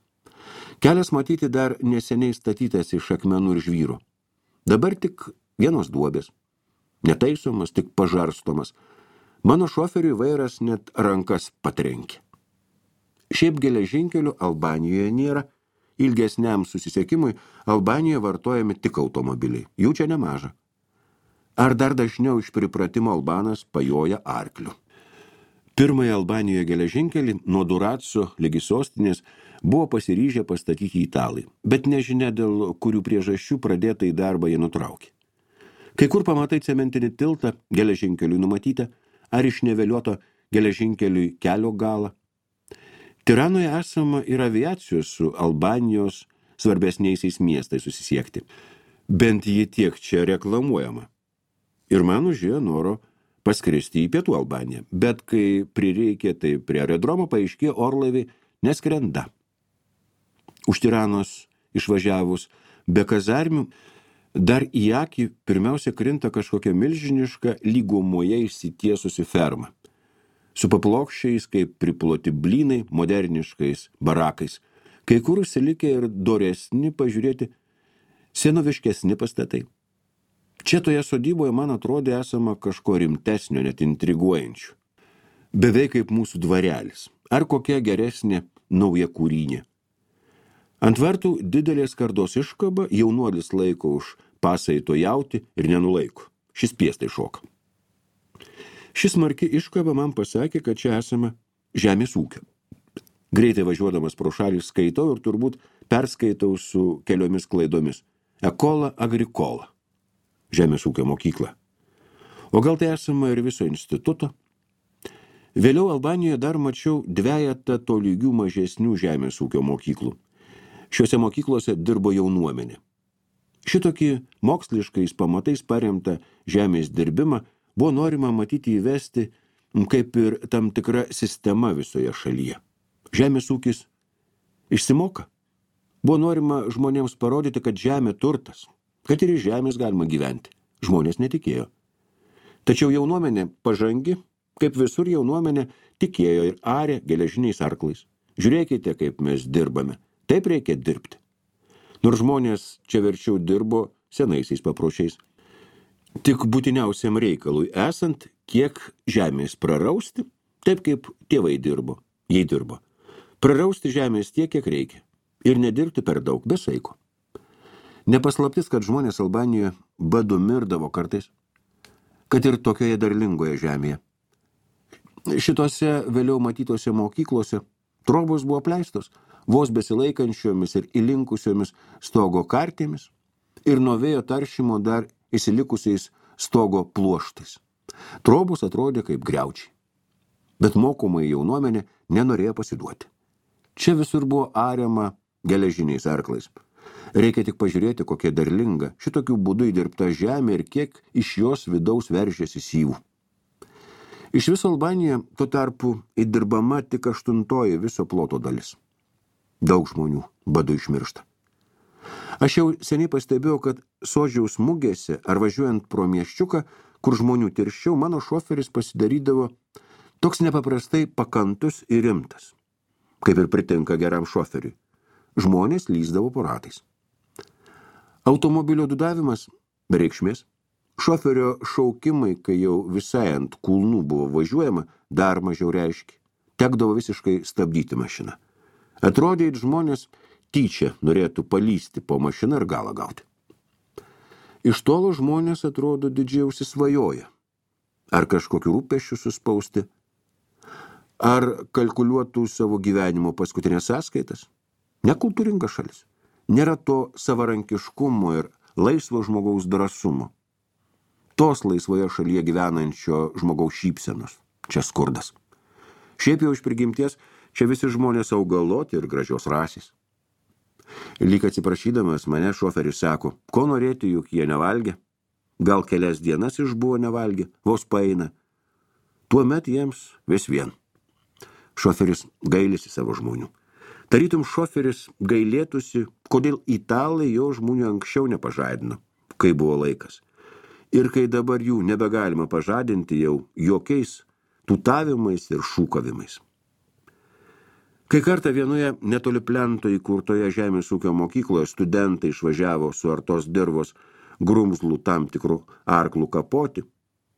Kelias matyti dar neseniai statytas iš akmenų ir žvyro. Dabar tik vienos duobės. Netaisomas, tik pažarstomas. Mano šoferiui vairas net rankas patrenkė. Šiaip geležinkelių Albanijoje nėra. Ilgesniam susisiekimui Albanijoje vartojami tik automobiliai. Jų čia nemaža. Ar dar dažniau iš pripratimo albanas pajoja arkliu. Pirmąją Albanijoje geležinkelį nuo Duraco ligi sostinės buvo pasiryžę pastatyti italai, bet nežinia dėl kurių priežasčių pradėtą į darbą jie nutraukė. Kai kur pamatai cementinį tiltą geležinkeliui numatytą, ar išneveliuoto geležinkeliui kelio galą. Tiranoje esama ir aviacijos su Albanijos svarbesniaisiais miestais susisiekti. Bent ji tiek čia reklamuojama. Ir man užėjo noro paskristi į Pietų Albaniją, bet kai prireikė, tai prie aerodromo paaiškėjo orlaiviai neskrenda. Už Tiranos išvažiavus be kazarmių Dar į akį pirmiausia krinta kažkokia milžiniška lygumoje išsitiesusi ferma. Su paplokščiais, kaip priploti blynai, moderniškais barakais. Kai kur užsilikę ir doresni pažiūrėti senoviškesni pastatai. Čia toje sodyboje man atrodė esama kažko rimtesnio, net intriguojančių. Beveik kaip mūsų dvarelis. Ar kokia geresnė nauja kūrynė. Ant vartų didelės skardos iškaba, jaunuolis laiko už pasaito jauti ir nenulaiko. Šis piestai šoka. Šis smarki iškaba man pasakė, kad čia esame žemės ūkio. Greitai važiuodamas pro šalį skaitau ir turbūt perskaitau su keliomis klaidomis. Ekola agrikola. Žemės ūkio mokykla. O gal tai esama ir viso instituto? Vėliau Albanijoje dar mačiau dvejetą tolygių mažesnių žemės ūkio mokyklų. Šiuose mokyklose dirbo jaunuomenė. Šitokį moksliškais pamatais paremtą žemės dirbimą buvo norima matyti įvesti kaip ir tam tikra sistema visoje šalyje. Žemės ūkis išsimoka. Buvo norima žmonėms parodyti, kad žemė turtas, kad ir iš žemės galima gyventi. Žmonės netikėjo. Tačiau jaunuomenė pažangi, kaip visur jaunuomenė, tikėjo ir arė geležiniais arklais. Žiūrėkite, kaip mes dirbame. Taip reikia dirbti. Nors žmonės čia verčiau dirbo senaisiais papročiais. Tik būtiniausiam reikalui esant, kiek žemės prarausti, taip kaip tėvai dirbo, jei dirbo. Prarausti žemės tiek, kiek reikia. Ir nedirbti per daug, be saiko. Nepaslaptis, kad žmonės Albanijoje badu mirdavo kartais, kad ir tokioje derlingoje žemėje. Šitose vėliau matytose mokyklose trobos buvo apleistos, vos besilaikančiomis ir įlinkusiomis stogo kartėmis ir nuo vėjo taršimo dar įsilikusiais stogo pluoštais. Trobos atrodė kaip griaučiai. Bet mokomai jaunuomenė nenorėjo pasiduoti. Čia visur buvo ariama geležiniais arklais. Reikia tik pažiūrėti, kokia derlinga šitokių būdų įdirbta žemė ir kiek iš jos vidaus veržėsi syvų. Iš viso Albanijoje tuo tarpu įdirbama tik aštuntoji viso ploto dalis. Daug žmonių badu išmiršta. Aš jau seniai pastebėjau, kad Sodžiaus mugėse ar važiuojant pro miesčiuką, kur žmonių tirščiau, mano šoferis pasidarydavo toks nepaprastai pakantus ir rimtas, kaip ir pritinka geram šoferiui. Žmonės lyzdavo po ratais. Automobilio dudavimas be reikšmės. Šoferio šaukimai, kai jau visai ant kulnų buvo važiuojama, dar mažiau reiškia. Tekdavo visiškai stabdyti mašiną. Atrodė, kad žmonės tyčia norėtų palysti po mašiną ir galą gauti. Iš tolo žmonės atrodo didžiai užsisvajoja. Ar kažkokiu rūpesčiu suspausti, ar kalkuliuotų savo gyvenimo paskutinės sąskaitas. Nekultūringa šalis. Nėra to savarankiškumo ir laisvo žmogaus drąsumo. Tos laisvoje šalyje gyvenančio žmogaus šypsenos. Čia skurdas. Šiaip jau iš prigimties, čia visi žmonės augaloti ir gražios rasės. Lyg atsiprašydamas mane šoferis sako, ko norėti, juk jie nevalgė. Gal kelias dienas išbuvo nevalgė, vos paeina. Tuomet jiems vis vien. Šoferis gailisi savo žmonių. Tarytum šoferis gailėtųsi, kodėl italai jo žmonių anksčiau nepažadino, kai buvo laikas. Ir kai dabar jų nebegalima pažadinti jau jokiais tūtavimais ir šūkavimais. Kai kartą vienoje netoli plento įkurtoje žemės ūkio mokykloje studentai išvažiavo su artos dirvos grumzlų tam tikrų arklų kapoti,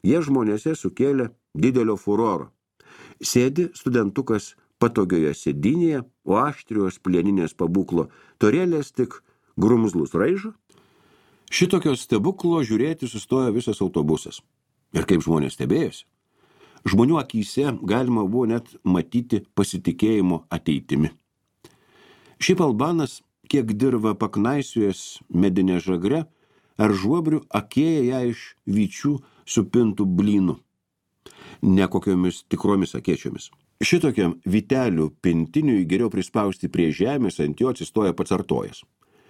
jie žmonėse sukėlė didelio furoro. Sėdi studentukas patogioje sėdynėje, o aštrios plieninės pabūklo torėlės tik grumzlus raižo. Šitokio stebuklo žiūrėti sustojo visas autobusas. Ir kaip žmonės stebėjosi. Žmonių akyse galima buvo net matyti pasitikėjimo ateitimi. Šiaip Albanas, kiek dirva paknaisiujęs medinė žagre, ar žuobrių akėja ją iš vyčių supintų blynų, ne kokiomis tikromis akėčiomis. Šitokiam vytelių pintiniui geriau prispausti prie žemės, ant jo atsistoja pats artojas.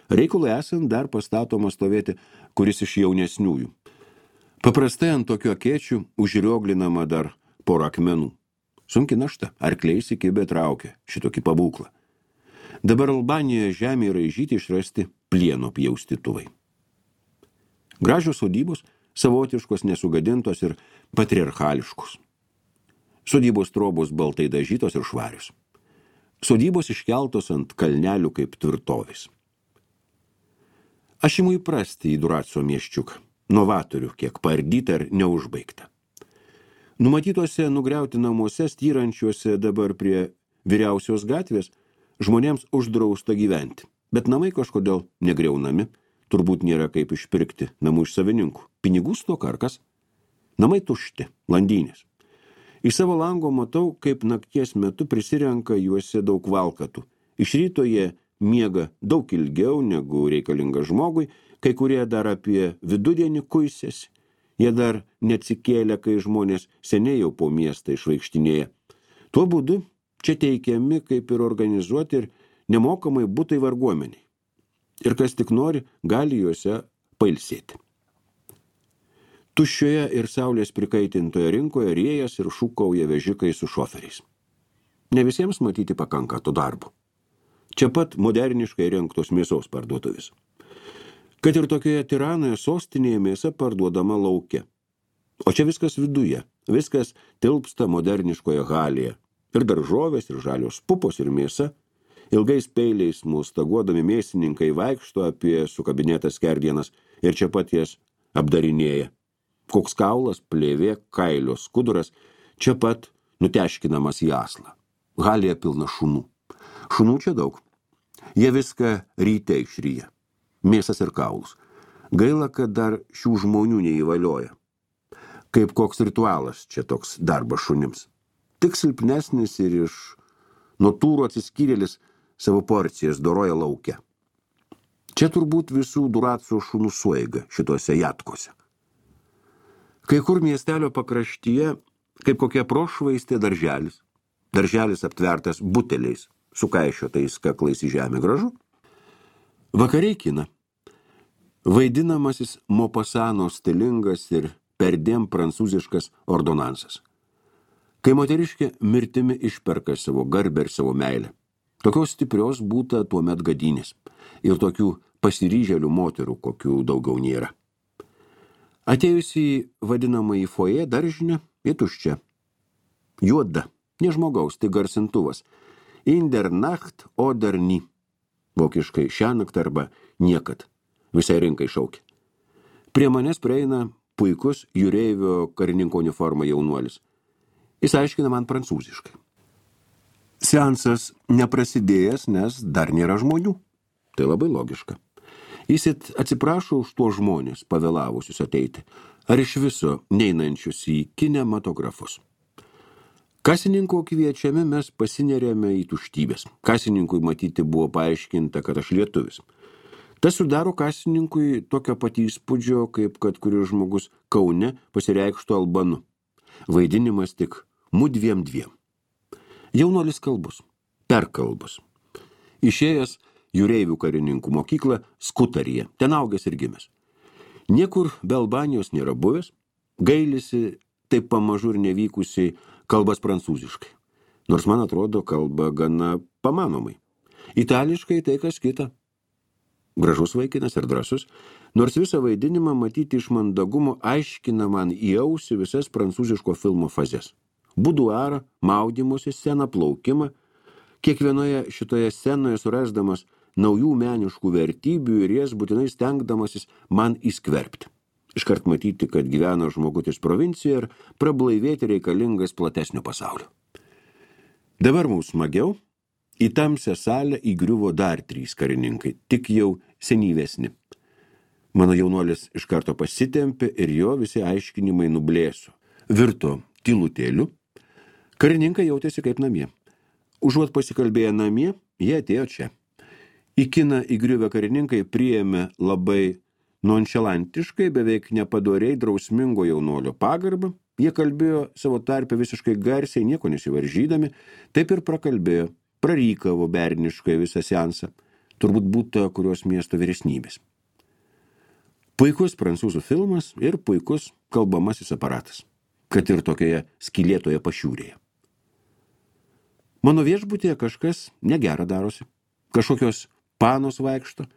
Reikalui esant dar pastatoma stovėti kuris iš jaunesniųjų. Paprastai ant tokio akėčių užrioglinama dar porą akmenų. Sunki našta, arkliai įsikibę traukia šitokį pabūklą. Dabar Albanijoje žemė raižyti išrasti plieno pjaustytuvai. Gražios sodybos, savotiškos, nesugadintos ir patriarchališkos. Sodybos trobos baltai dažytos ir švarios. Sodybos iškeltos ant kalnelių kaip tvirtovės. Aš imu įprasti į Duraco mieščiuką, novatorių, kiek paardyta ir neužbaigta. Numatytose nugriauti namuose, styrančiuose dabar prie vyriausios gatvės, žmonėms uždrausta gyventi, bet namai kažkodėl negriaunami, turbūt nėra kaip išpirkti namų iš savininkų. Pinigų stoka ar kas? Namai tušti, landynės. Iš savo lango matau, kaip nakties metu prisirenka juose daug valkatų. Iš ryto jie miega daug ilgiau negu reikalinga žmogui, kai kurie dar apie vidudienį kuisėsi. Jie dar neatsikėlė, kai žmonės seniai jau po miestą išvaikštinėja. Tuo būdu čia teikiami kaip ir organizuoti ir nemokamai butai varguomeniai. Ir kas tik nori, gali juose pailsėti. Tuščioje ir saulės prikaitintoje rinkoje rėjas ir šūkauja vežikai su šoferiais. Ne visiems matyti pakanka to darbo. Čia pat moderniškai rengtos mėsos parduotuvės. Kad ir tokioje Tiranoje sostinėje mėsa parduodama lauke. O čia viskas viduje, viskas tilpsta moderniškoje halėje. Ir daržovės, ir žalios pupos, ir mėsa. Ilgais peiliais mustaguodami mėsininkai vaikšto apie sukabinėtas skerdienas ir čia pat jas apdarinėja. Koks kaulas, plėvė, kailio skuduras, čia pat nuteškinamas į aslą. Halėje pilna šunų. Šunų čia daug. Jie viską ryte išryja. Mėsas ir kaulus. Gaila, kad dar šių žmonių neįvalioja. Kaip koks ritualas čia toks darbas šunims. Tik silpnesnis ir iš natūrų atsiskyrėlis savo porcijas doroja lauke. Čia turbūt visų Duraco šunų sueiga šitose jatkose. Kai kur miestelio pakraštyje, kaip kokia prošvaistė darželis. Darželis aptvertas buteliais, sukaišiotais kaklais į žemę gražu. Vakariai kina. Vaidinamasis Mopasano stilingas ir perdėm prancūziškas ordonansas. Kai moteriškė mirtimi išperka savo garbę ir savo meilę. Tokios stiprios būta tuomet gadynės ir tokių pasiryžėlių moterų, kokių daugiau nėra. Atėjus į vadinamąjį foje daržinę, į tuščią. Juoda, ne žmogaus, tai garsintuvas. In der Nacht oder nie. Vokiškai šiąnakt arba niekad. Visai rinkai šaukia. Prie manęs prieina puikus jūreivio karininko uniforma jaunuolis. Jis aiškina man prancūziškai. Seansas neprasidėjęs, nes dar nėra žmonių. Tai labai logiška. Jis atsiprašo už tuos žmonės, pavėlavusius ateiti, ar iš viso neinančius į kinematografus. Kasininko kviečiami mes pasinerėme į tuštybės. Kasininkui matyti buvo paaiškinta, kad aš lietuvis. Tas sudaro kasininkui tokio patį įspūdžio, kaip kad kuris žmogus Kaune pasireikštų albanu. Vaidinimas tik mudviem dviem. Jaunuolis kalbus, perkalbus. Išėjęs jūreivių karininkų mokyklą Skutaryje, ten augęs ir gimęs. Niekur be Albanijos nėra buvęs, gailisi taip pamažu ir nevykusiai kalbas prancūziškai. Nors man atrodo kalba gana pamanomai. Itališkai tai kas kita. Gražus vaikinas ir drąsus, nors visą vaidinimą matyti iš mandagumo aiškina man į ausį visas prancūziško filmo fazes. Buduarą, maudymosi sceną, plaukimą. Kiekvienoje šitoje scenoje surasdamas naujų meniškų vertybių ir jas būtinai stengdamasis man įskverbti. Iškart matyti, kad gyvena žmogutis provincijoje ir prablaivėti reikalingas platesnio pasaulio. Dabar mums smagiau, į tamsią salę įgriuvo dar trys karininkai, tik jau senyvesni. Mano jaunuolis iš karto pasitempė ir jo visi aiškinimai nublėso. Virto tylutėliu, karininkai jautėsi kaip namie. Užuot pasikalbėję namie, jie atėjo čia. Į kiną įgriuvę karininkai priėmė labai nonšalantiškai, beveik nepadoriai drausmingo jaunuolio pagarbą. Jie kalbėjo savo tarpe visiškai garsiai, nieko nesivaržydami, taip ir prakalbėjo, prarykavo berniškai visą seansą. Turbūt būta kurios miesto vyresnybės. Puikus prancūzų filmas ir puikus kalbamasis aparatas, kad ir tokioje skylėtoje pašiūrėje. Mano viešbutyje kažkas negera darosi. Kažkokios panos vaikšto.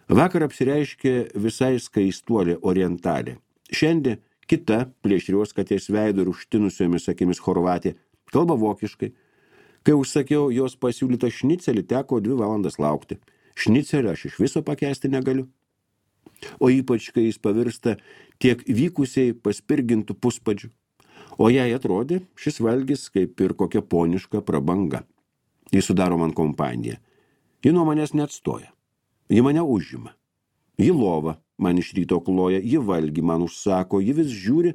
Vakar apsireiškė visai skaistuolė orientalė. Šiandien kita plėšrios katės veido ir užtinusiomis akimis chorvatė kalba vokiškai. Kai užsakiau jos pasiūlytą šnicelį, teko dvi valandas laukti. Šnicelį aš iš viso pakęsti negaliu. O ypač, kai jis pavirsta tiek vykusiai paspirgintų puspadžių. O jai atrodė šis valgis kaip ir kokia poniška prabanga. Jis sudaro man kompaniją. Ji nuo manęs neatstoja. Ji mane užima. Ji lova man iš ryto kloja, ji valgį man užsako, ji vis žiūri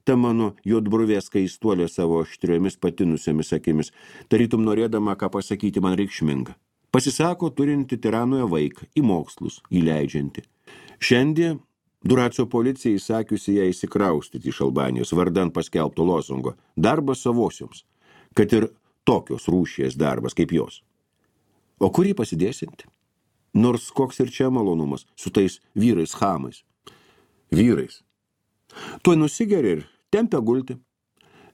tą mano juodbruvės skaistuolė savo aštriomis patinusiamis akimis, tarytum norėdama, ką pasakyti man reikšminga. Pasisako turinti tiranoje vaiką, į mokslus įleidžianti. Šiandien Duraco policija įsakiusi ją įsikraustyti iš Albanijos vardan paskelbto lozungo. Darbas savosioms, kad ir tokios rūšies darbas kaip jos. O kur jį pasidėsinti? Nors koks ir čia malonumas su tais vyrais chamais. Vyrais. Tuoj nusigeria ir tempia gulti.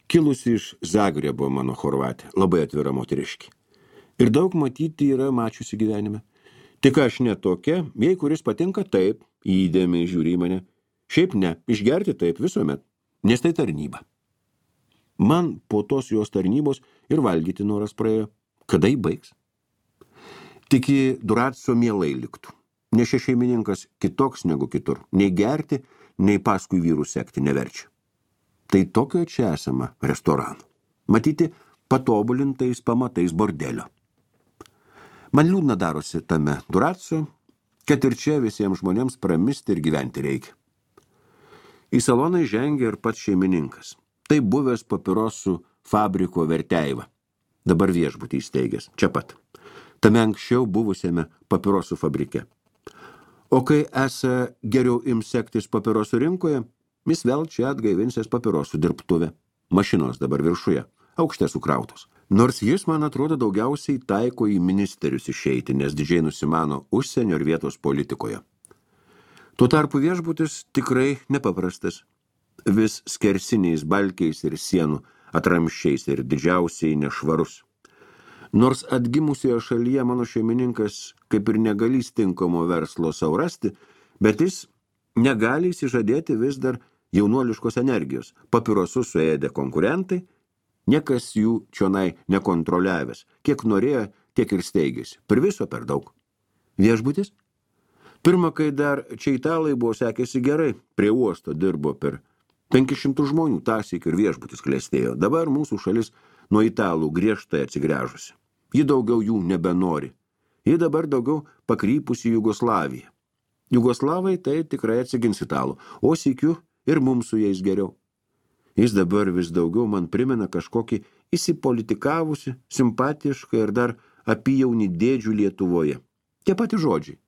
Kilusi iš Zagrebo mano chorvatė, labai atvira moteriški. Ir daug matyti yra mačiusi gyvenime. Tik aš ne tokia, jei kuris patinka taip, įdėmiai žiūri į mane. Šiaip ne, išgerti taip visuomet, nes tai tarnyba. Man po tos jos tarnybos ir valgyti noras praėjo. Kada jį baigs? Tik į Duraco mielai liktų. Nes šis šeimininkas kitoks negu kitur. Nei gerti, nei paskui vyrų sekti neverčia. Tai tokio čia esama restorano. Matyti patobulintais pamatais bordelio. Man liūdna darosi tame Duraco, kad ir čia visiems žmonėms pramisti ir gyventi reikia. Į saloną žengia ir pats šeimininkas. Tai buvęs papirosų fabriko Verteiva. Dabar viešbutį įsteigęs, čia pat. Tame anksčiau buvusiame papirosų fabrike. O kai esą geriau ims sektis papirosų rinkoje, jis vėl čia atgaivinsės papirosų dirbtuvę. Mašinos dabar viršuje, aukšte sukrautos. Nors jis, man atrodo, daugiausiai taiko į ministerius išeiti, nes didžiai nusimano užsienio ir vietos politikoje. Tuo tarpu viešbutis tikrai nepaprastas. Vis skersiniais balkiais ir sienų atramščiais ir didžiausiai nešvarus. Nors atgimusioje šalyje mano šeimininkas kaip ir negalys tinkamo verslo sau rasti, bet jis negali įsižadėti vis dar jaunuoliškos energijos. Papirosus suėdė konkurentai, niekas jų čionai nekontroliavęs. Kiek norėjo, tiek ir steigėsi. Per viso per daug. Viešbutis? Pirma, kai dar čia italai buvo sekėsi gerai, prie uosto dirbo per penkis šimtus žmonių, tąsyk ir viešbutis klestėjo. Dabar mūsų šalis nuo italų griežtai atsigręžusi. Ji daugiau jų nebenori. Ji dabar daugiau pakrypusi Jugoslaviją. Jugoslavai tai tikrai atsigins italų, o sykiu ir mums su jais geriau. Jis dabar vis daugiau man primena kažkokį įsipolitikavusi, simpatišką ir dar apyjaunį dėdžių Lietuvoje. Tie pati žodžiai.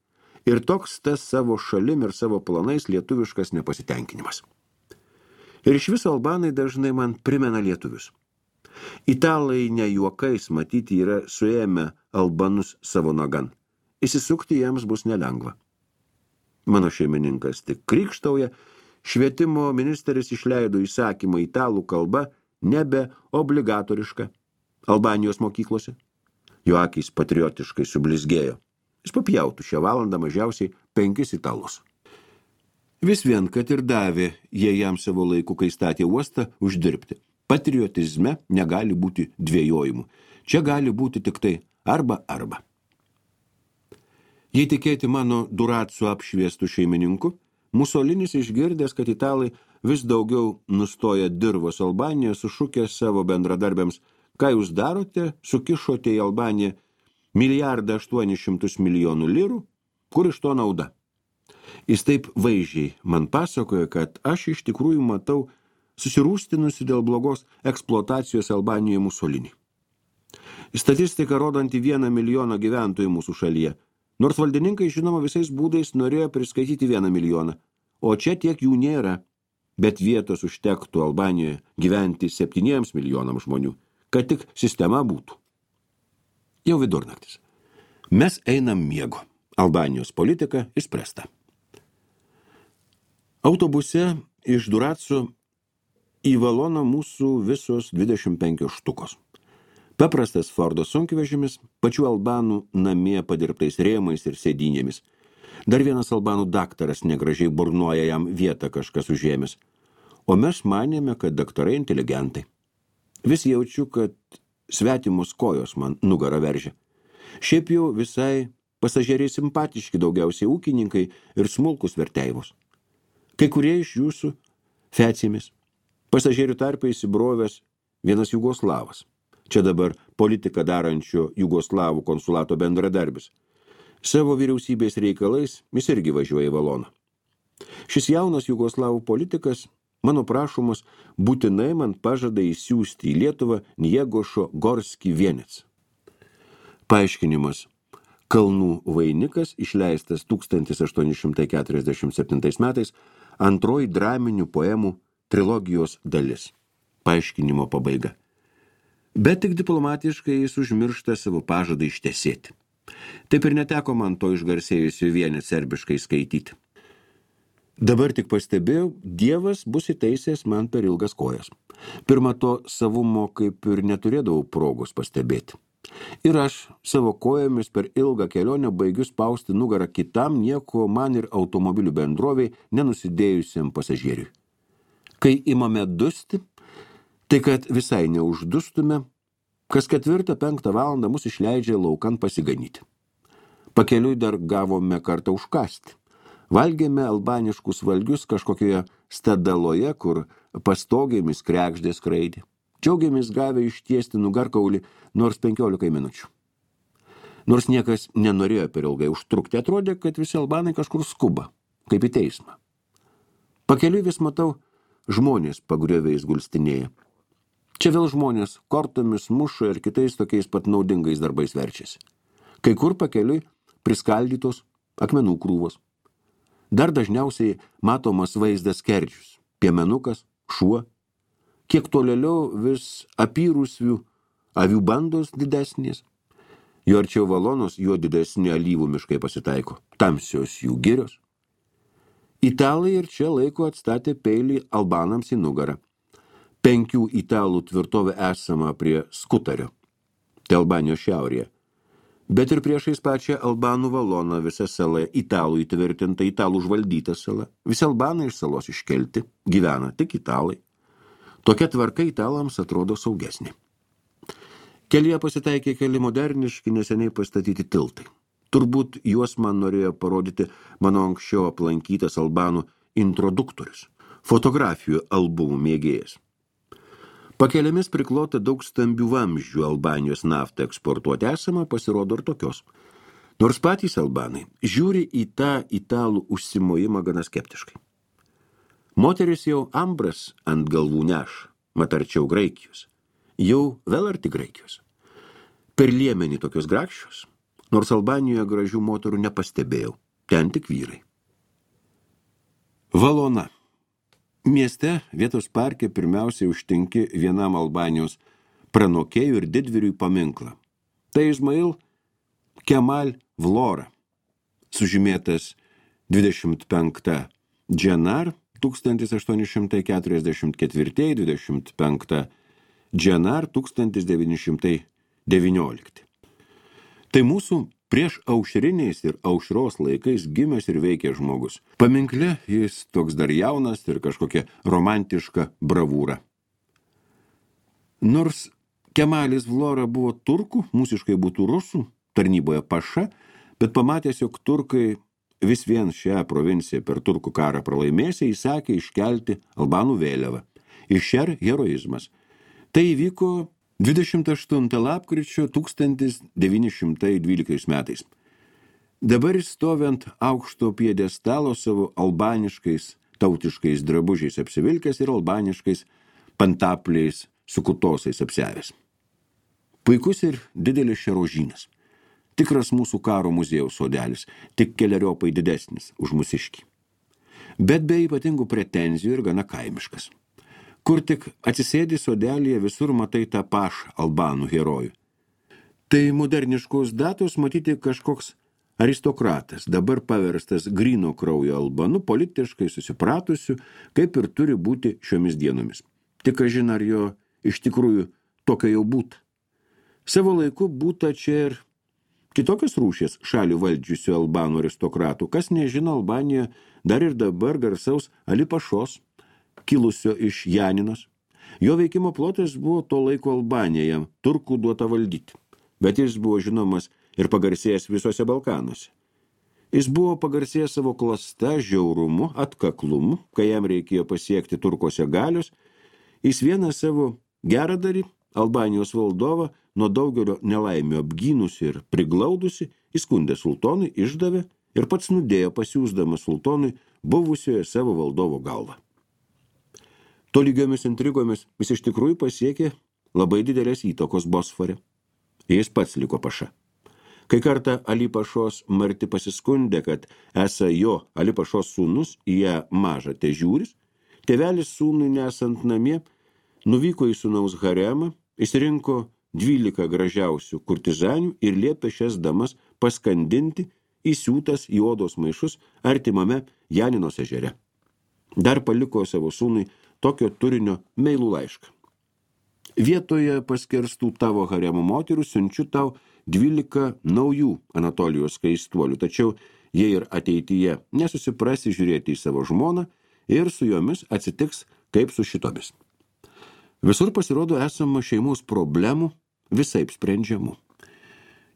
Ir toks tas savo šalim ir savo planais lietuviškas nepasitenkinimas. Ir iš viso albanai dažnai man primena lietuvius. Italai ne juokais matyti yra suėmę albanus savo nagan. Įsisukti jiems bus nelengva. Mano šeimininkas tik krikštauja, švietimo ministeris išleido įsakymą italų kalba nebe obligatoriška Albanijos mokyklose. Jo akys patriotiškai sublizgėjo. Jis papjautų šią valandą mažiausiai penkis italus. Vis vien, kad ir davė jie jam savo laiku, kai statė uostą, uždirbti. Patriotizme negali būti dvejojimų. Čia gali būti tik tai arba arba. Jei tikėti mano Duraco apšviestų šeimininku, Musolinis išgirdęs, kad italai vis daugiau nustoja dirvos Albaniją, sušūkė savo bendradarbiams, ką jūs darote, sukišote į Albaniją milijardą aštuonis šimtus milijonų lirų, kur iš to nauda. Jis taip vaizdžiai man pasakoja, kad aš iš tikrųjų matau susirūstinusi dėl blogos eksploatacijos Albanijoje Musolinį. Statistika rodanti vieną milijoną gyventojų mūsų šalyje, nors valdininkai, žinoma, visais būdais norėjo priskaityti vieną milijoną, o čia tiek jų nėra, bet vietos užtektų Albanijoje gyventi septyniems milijonams žmonių, kad tik sistema būtų. Jau vidurnaktis. Mes einam miego. Albanijos politika išspręsta. Autobuse iš Duraco į Valoną mūsų visos dvidešimt penkios štukos. Paprastas Fordo sunkvežimis, pačių albanų namie padirbtais rėmais ir sėdynėmis. Dar vienas albanų daktaras negražiai burnoja jam vietą kažkas užėmęs. O mes manėme, kad daktarai inteligentai. Vis jaučiu, kad svetimos kojos man nugarą veržia. Šiaip jau visai pasažeriai simpatiški, daugiausiai ūkininkai ir smulkus verteivos. Kai kurie iš jūsų fecimis. Pasažerių tarpe įsibrovęs vienas Jugoslavas. Čia dabar politiką darančio Jugoslavų konsulato bendradarbis. Savo vyriausybės reikalais jis irgi važiuoja į Valoną. Šis jaunas Jugoslavų politikas, mano prašomas, būtinai man pažada įsiųsti į Lietuvą Njegošo Gorski vienets. Paaiškinimas. Kalnų vainikas, išleistas tūkstantis aštuoni šimtai keturiasdešimt septintais metais, antroji draminių poemų trilogijos dalis. Paaiškinimo pabaiga. Bet tik diplomatiškai jis užmiršta savo pažadą ištesėti. Taip ir neteko man to išgarsėjusių vienį serbiškai skaityti. Dabar tik pastebėjau, Dievas bus įteisęs man per ilgas kojas. Pirma, to savumo kaip ir neturėdavau progos pastebėti. Ir aš savo kojomis per ilgą kelionę baigiu spausti nugarą kitam nieko man ir automobilių bendroviai nenusidėjusiam pasažieriui. Kai imame dusti, tai kad visai neuždustume, kas ketvirtą penktą valandą mus išleidžia laukan pasiganyti. Pakeliui dar gavome kartą užkasti. Valgėme albaniškus valgius kažkokioje stadaloje, kur pastogėmis krekždės skraidė. Džiaugiamės gavę ištiesti nugarkaulį nors penkiolikai minučių. Nors niekas nenorėjo per ilgai užtrukti, atrodė, kad visi albanai kažkur skuba, kaip į teismą. Pakeliui vis matau, žmonės pagriovėjais gulstinėja. Čia vėl žmonės kortomis muša ir kitais tokiais pat naudingais darbais verčiasi. Kai kur pakeliui priskaldytos akmenų krūvos. Dar dažniausiai matomas vaizdas skerdžius, piemenukas, šuo. Kiek tolėliau vis apyrusių avių bandos didesnės. Jo arčiau Valonos, juo didesni alyvų miškai pasitaiko, tamsios jų girios. Italai ir čia laiko atstatė peilį albanams į nugarą. Penkių italų tvirtovė esama prie Skutario, tai Albanijos šiaurėje. Bet ir priešais pačią Albanų Valoną visa sala italų įtvirtinta, italų užvaldyta sala. Visi albanai iš salos iškelti, gyvena tik italai. Tokia tvarka italams atrodo saugesnė. Kelyje pasitaikė keli moderniški, neseniai pastatyti tiltai. Turbūt juos man norėjo parodyti mano anksčiau aplankytas albanų introduktorius, fotografijų albumų mėgėjas. Pakeliamis priklota daug stambių vamzdžių Albanijos naftą eksportuoti esama, pasirodo ir tokios. Nors patys albanai žiūri į tą italų užsimojimą gana skeptiškai. Moteris jau ambras ant galvų neša, mat arčiau Graikijos. Jau vėl arti Graikijos. Per liemenį tokios grakščios, nors Albanijoje gražių moterų nepastebėjau, ten tik vyrai. Valona. Mieste vietos parke pirmiausiai užtinki vienam Albanijos pranokėjų ir didvyriui paminklą. Tai Izmail Kemal Vlora, sužymėtas dvidešimt penktą Dženar tūkstantis aštuoni šimtai keturiasdešimt ketvirti dvidešimt penktą Dženar tūkstantis devyni šimtai devyniolikti. Tai mūsų prieš aušriniais ir aušros laikais gimęs ir veikęs žmogus. Paminkle jis toks dar jaunas ir kažkokia romantiška bravūra. Nors Kemalis Vlora buvo turkų, mūsiškai būtų rusų, tarnyboje paša, bet pamatęs, jog turkai vis vien šią provinciją per turkų karą pralaimėsiai, įsakė iškelti albanų vėliavą. Išer heroizmas. Tai įvyko dvidešimt aštuntą lapkričio tūkstantis devyni šimtai dvyliktais metais. Dabar jis stovint aukšto piedestalo savo albaniškais tautiškais drabužiais apsivilkęs ir albaniškais pantapliais su kutosais apsiavęs. Puikus ir didelis šerožynas. Tikras mūsų karo muziejaus sodelis, tik keleriopai didesnis už mūsiškį. Bet be ypatingų pretenzijų ir gana kaimiškas. Kur tik atsisėdi sodelėje, visur matai tą pašą albanų herojų. Tai moderniškos datos matyti kažkoks aristokratas, dabar paverstas gryno kraujo albanu, politiškai susipratusiu, kaip ir turi būti šiomis dienomis. Tik kažin ar jo iš tikrųjų tokio jau būta. Savo laiku būta čia ir kitokios rūšies šalį valdžiusių albanų aristokratų. Kas nežino, Albanijoje dar ir dabar garsaus Ali Pašos, kilusio iš Janinos. Jo veikimo plotas buvo to laiko Albanija, jam turkų duota valdyti, bet jis buvo žinomas ir pagarsėjęs visose Balkanuose. Jis buvo pagarsėjęs savo klasta, žiaurumu, atkaklumu, kai jam reikėjo pasiekti turkose galios. Jis vieną savo geradarį, Albanijos valdovą, nuo daugelio nelaimių apgynusi ir priglaudusi, įskundė sultonui, išdavė ir pats nudėjo pasiūsdamas sultonui buvusioje savo valdovo galvą. Tolygiomis intrigomis jis iš tikrųjų pasiekė labai didelės įtakos Bosfore. Jis pats liko paša. Kai kartą Ali Pašos marti pasiskundė, kad esą jo Ali Pašos sūnus į ją mažą težiūris, tėvelis sūnui nesant namie nuvyko į sūnaus haremą, išsirinko dvylika gražiausių kurtizanių ir liepė šias damas paskandinti įsiūtas į odos maišus artimame Janinos ežere. Dar paliko savo sūnui tokio turinio meilų laišką. Vietoje paskerstų tavo haremo moterų siunčiu tau dvylika naujų Anatolijos skaistuolių, tačiau jie ir ateityje nesusiprasi žiūrėti į savo žmoną ir su jomis atsitiks kaip su šitomis. Visur pasirodo esama šeimos problemų visaip sprendžiamų.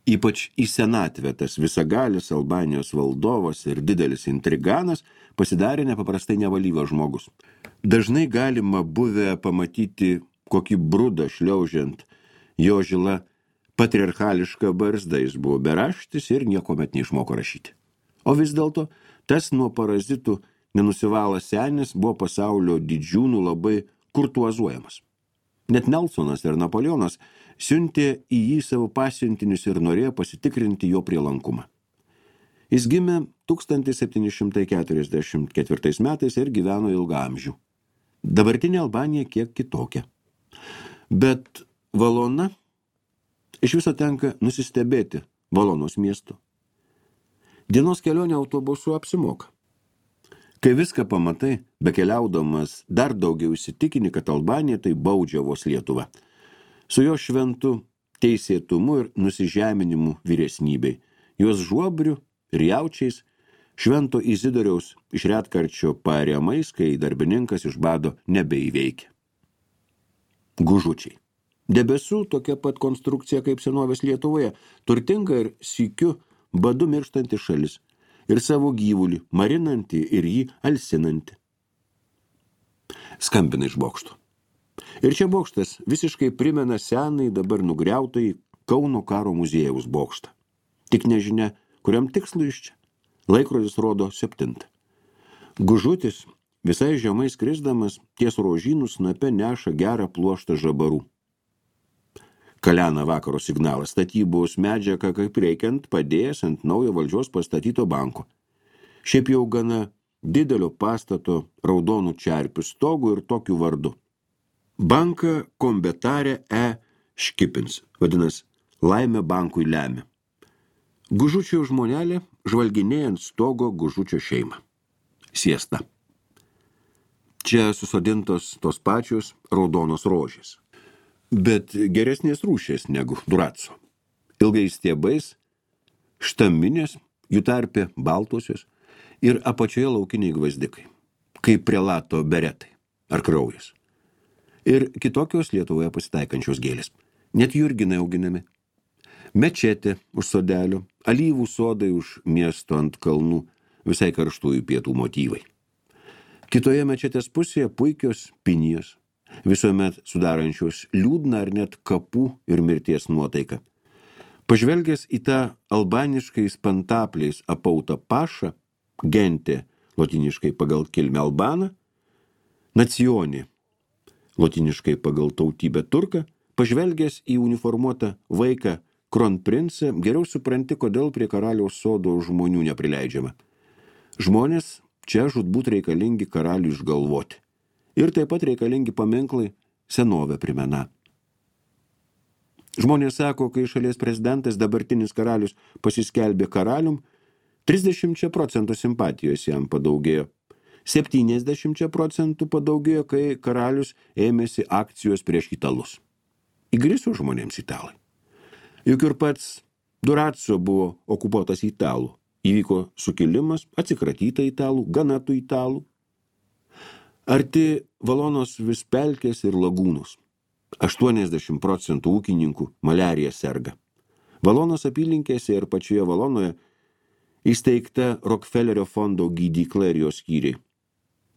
Ypač į senatvę tas visagalis Albanijos valdovas ir didelis intriganas pasidarė nepaprastai nevalyvas žmogus. Dažnai galima buvę pamatyti kokį brudą šliaužiant jo žila patriarchališka barzda, jis buvo beraštis ir niekuomet neišmoko rašyti. O vis dėlto tas nuo parazitų nenusivalas senis buvo pasaulio didžiūnų labai kurtuazuojamas. Net Nelsonas ir Napoleonas siuntė į jį savo pasiuntinius ir norėjo pasitikrinti jo prielankumą. Jis gimė tūkstantis septyni šimtai keturiasdešimt ketvirtais metais ir gyveno ilgą amžių. Dabartinė Albanija kiek kitokia. Bet Valona, iš viso tenka nusistebėti Valonos miestu. Dienos kelionė autobusu apsimoka. Kai viską pamatai, bekeliaudamas dar daugiau įsitikini, kad Albanija tai baudžiavos Lietuva. Su jo šventu teisėtumu ir nusižeminimu vyresnybei, jos žuobriu ir jaučiais, švento Izidoriaus iš retkarčio paariamais, kai darbininkas iš bado nebeįveikia. Gužučiai. Debesų tokia pat konstrukcija kaip senovės Lietuvoje, turtinga ir sykiu badu mirštanti šalis ir savo gyvulį marinanti ir jį alsinanti. Skambina iš bokšto. Ir čia bokštas visiškai primena senai dabar nugriautai Kauno karo muziejaus bokštą. Tik nežinia, kuriam tikslui iš čia. Laikrodis rodo septintą. Gužutis visai žemai skrisdamas ties rožynų snape neša gerą pluoštą žabarų. Kalena vakaro signalas, statybos medžiaga kaip reikiant padėjęs ant naujo valdžios pastatyto banko. Šiaip jau gana didelio pastato raudonų čerpių stogų ir tokiu vardu. Banką kombetarė E. Škipins, vadinas, laimė bankui lemia. Gužučio žmonelė žvalginėjant stogo Gužučio šeimą. Siesta. Čia susodintos tos pačios raudonos rožės. Bet geresnės rūšės negu Duraco. Ilgais stiebais, štaminės, jų tarpe baltosios ir apačioje laukiniai gvazdikai, kaip prelato beretai ar kraujas. Ir kitokios Lietuvoje pasitaikančios gėlės. Net jurginai auginami. Mečetė už sodelio, alyvų sodai už miesto ant kalnų, visai karštųjų pietų motyvai. Kitoje mečetės pusėje puikios pinijos, visuomet sudarančios liūdną ar net kapų ir mirties nuotaiką. Pažvelgęs į tą albaniškais pantapliais apautą pašą, gentė, lotiniškai pagal kilmę albaną, nacionį, lotiniškai pagal tautybę turką, pažvelgęs į uniformuotą vaiką kronprincą, geriau supranti, kodėl prie karaliaus sodo žmonių neprileidžiama. Žmonės čia žūtbūt reikalingi karaliui išgalvoti. Ir taip pat reikalingi paminklai senovę primena. Žmonės sako, kai šalies prezidentas dabartinis karalius pasiskelbė karalium, trisdešimt procentų simpatijos jam padaugėjo. septyniasdešimt procentų padaugėjo, kai karalius ėmėsi akcijos prieš italus. Įgriso žmonėms italai. Juk ir pats Durazzo buvo okupuotas italų. Įvyko sukilimas, atsikratyta italų, gana tų italų. Arti Valonos vis pelkės ir lagūnos. aštuoniasdešimt procentų ūkininkų maliarija serga. Valonos apylinkėse ir pačioje Valonoje įsteigta Rockefellerio fondo gydykla ir jos skyriai.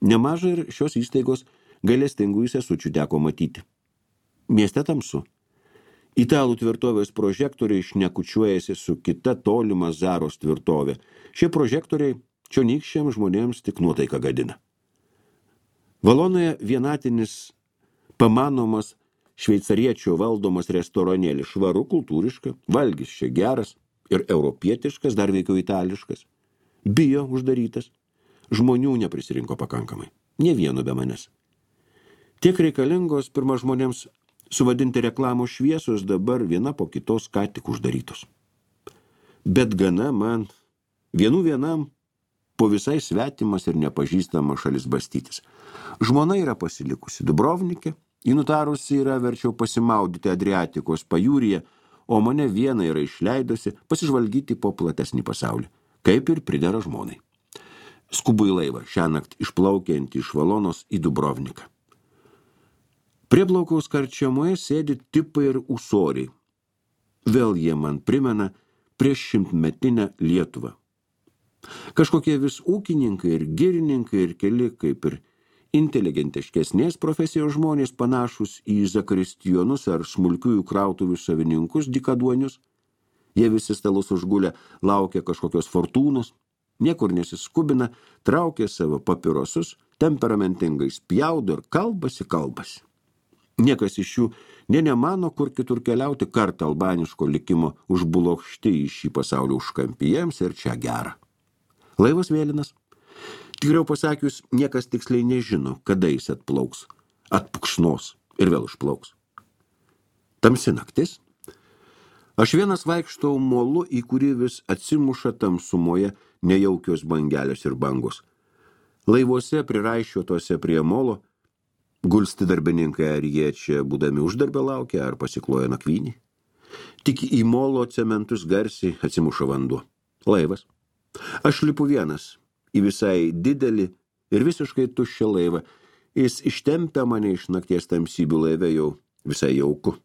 Nemažai ir šios įstaigos gailestingųjų sesučių teko matyti. Mieste tamsu. Italų tvirtovės prožektoriai šnekučiuojasi su kita tolima Zaros tvirtovė. Šie prožektoriai čionykščiams žmonėms tik nuotaiką gadina. Valonoje vienatinis pamanomas šveicariečio valdomas restoranėlis, švaru, kultūriška, valgis čia geras ir europietiškas, dar veikiau itališkas. Bijo uždarytas. Žmonių neprisirinko pakankamai. Ne vieno be manęs. Tiek reikalingos pirma žmonėms suvadinti reklamos šviesos, dabar viena po kitos ką tik uždarytos. Bet gana man, vienų vienam, po visai svetimas ir nepažįstama šalis bastytis. Žmona yra pasilikusi Dubrovnike, ji nutarusi yra verčiau pasimaudyti Adriatikos pajūryje, o mane vieną yra išleidusi pasižvalgyti po platesnį pasaulį, kaip ir pridera žmonai. Skubu į laivą, šiąnakt išplaukiantį iš Valonos į Dubrovniką. Prieplaukaus karčiamoje sėdi tipai ir ūsoriai. Vėl jie man primena prieš šimtmetinę Lietuvą. Kažkokie vis ūkininkai ir girininkai ir keli, kaip ir inteligentiškesnės profesijos žmonės panašus į zakristijonus ar smulkiųjų krautuvių savininkus dykaduonius. Jie visi stalus užgulę laukia kažkokios fortūnos, niekur nesiskubina, traukia savo papirosus, temperamentingai spjaudo ir kalbasi, kalbasi. Niekas iš jų ne nemano, kur kitur keliauti, kartą albaniško likimo užbulokšti į šį pasaulio užkampijams ir čia gera. Laivas vėlinas. Tikriau pasakius, niekas tiksliai nežino, kada jis atplauks, atpukšnos ir vėl išplauks. Tamsi naktis. Aš vienas vaikštau molu, į kurį vis atsimuša tamsumoje nejaukios bangelės ir bangos. Laivuose priraiščiuotose prie molo gulsti darbininkai, ar jie čia būdami uždarbę laukia, ar pasikloja nakvynį. Tik į molo cementus garsiai atsimuša vanduo. Laivas. Aš lipu vienas į visai didelį ir visiškai tuščią laivą. Jis ištempia mane iš nakties tamsybių laive jau visai jauku.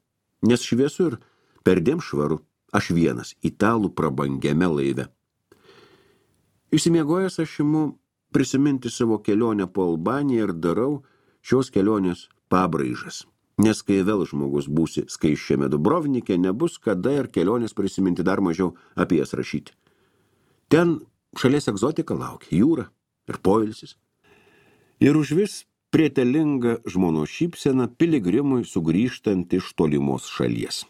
Nes šviesu ir perdėm švaru. Aš vienas italų prabangiame laive. Išsimiegojęs aš imu prisiminti savo kelionę po Albaniją ir darau šios kelionės pabraižas. Nes kai vėl žmogus būsi skaisčiame Dubrovnike, nebus kada ir kelionės prisiminti, dar mažiau apie jas rašyti. Ten šalies egzotika laukia, jūra ir poilsis. Ir užvis prietelinga žmonos šypsena piligrimui sugrįžtant iš tolimos šalies.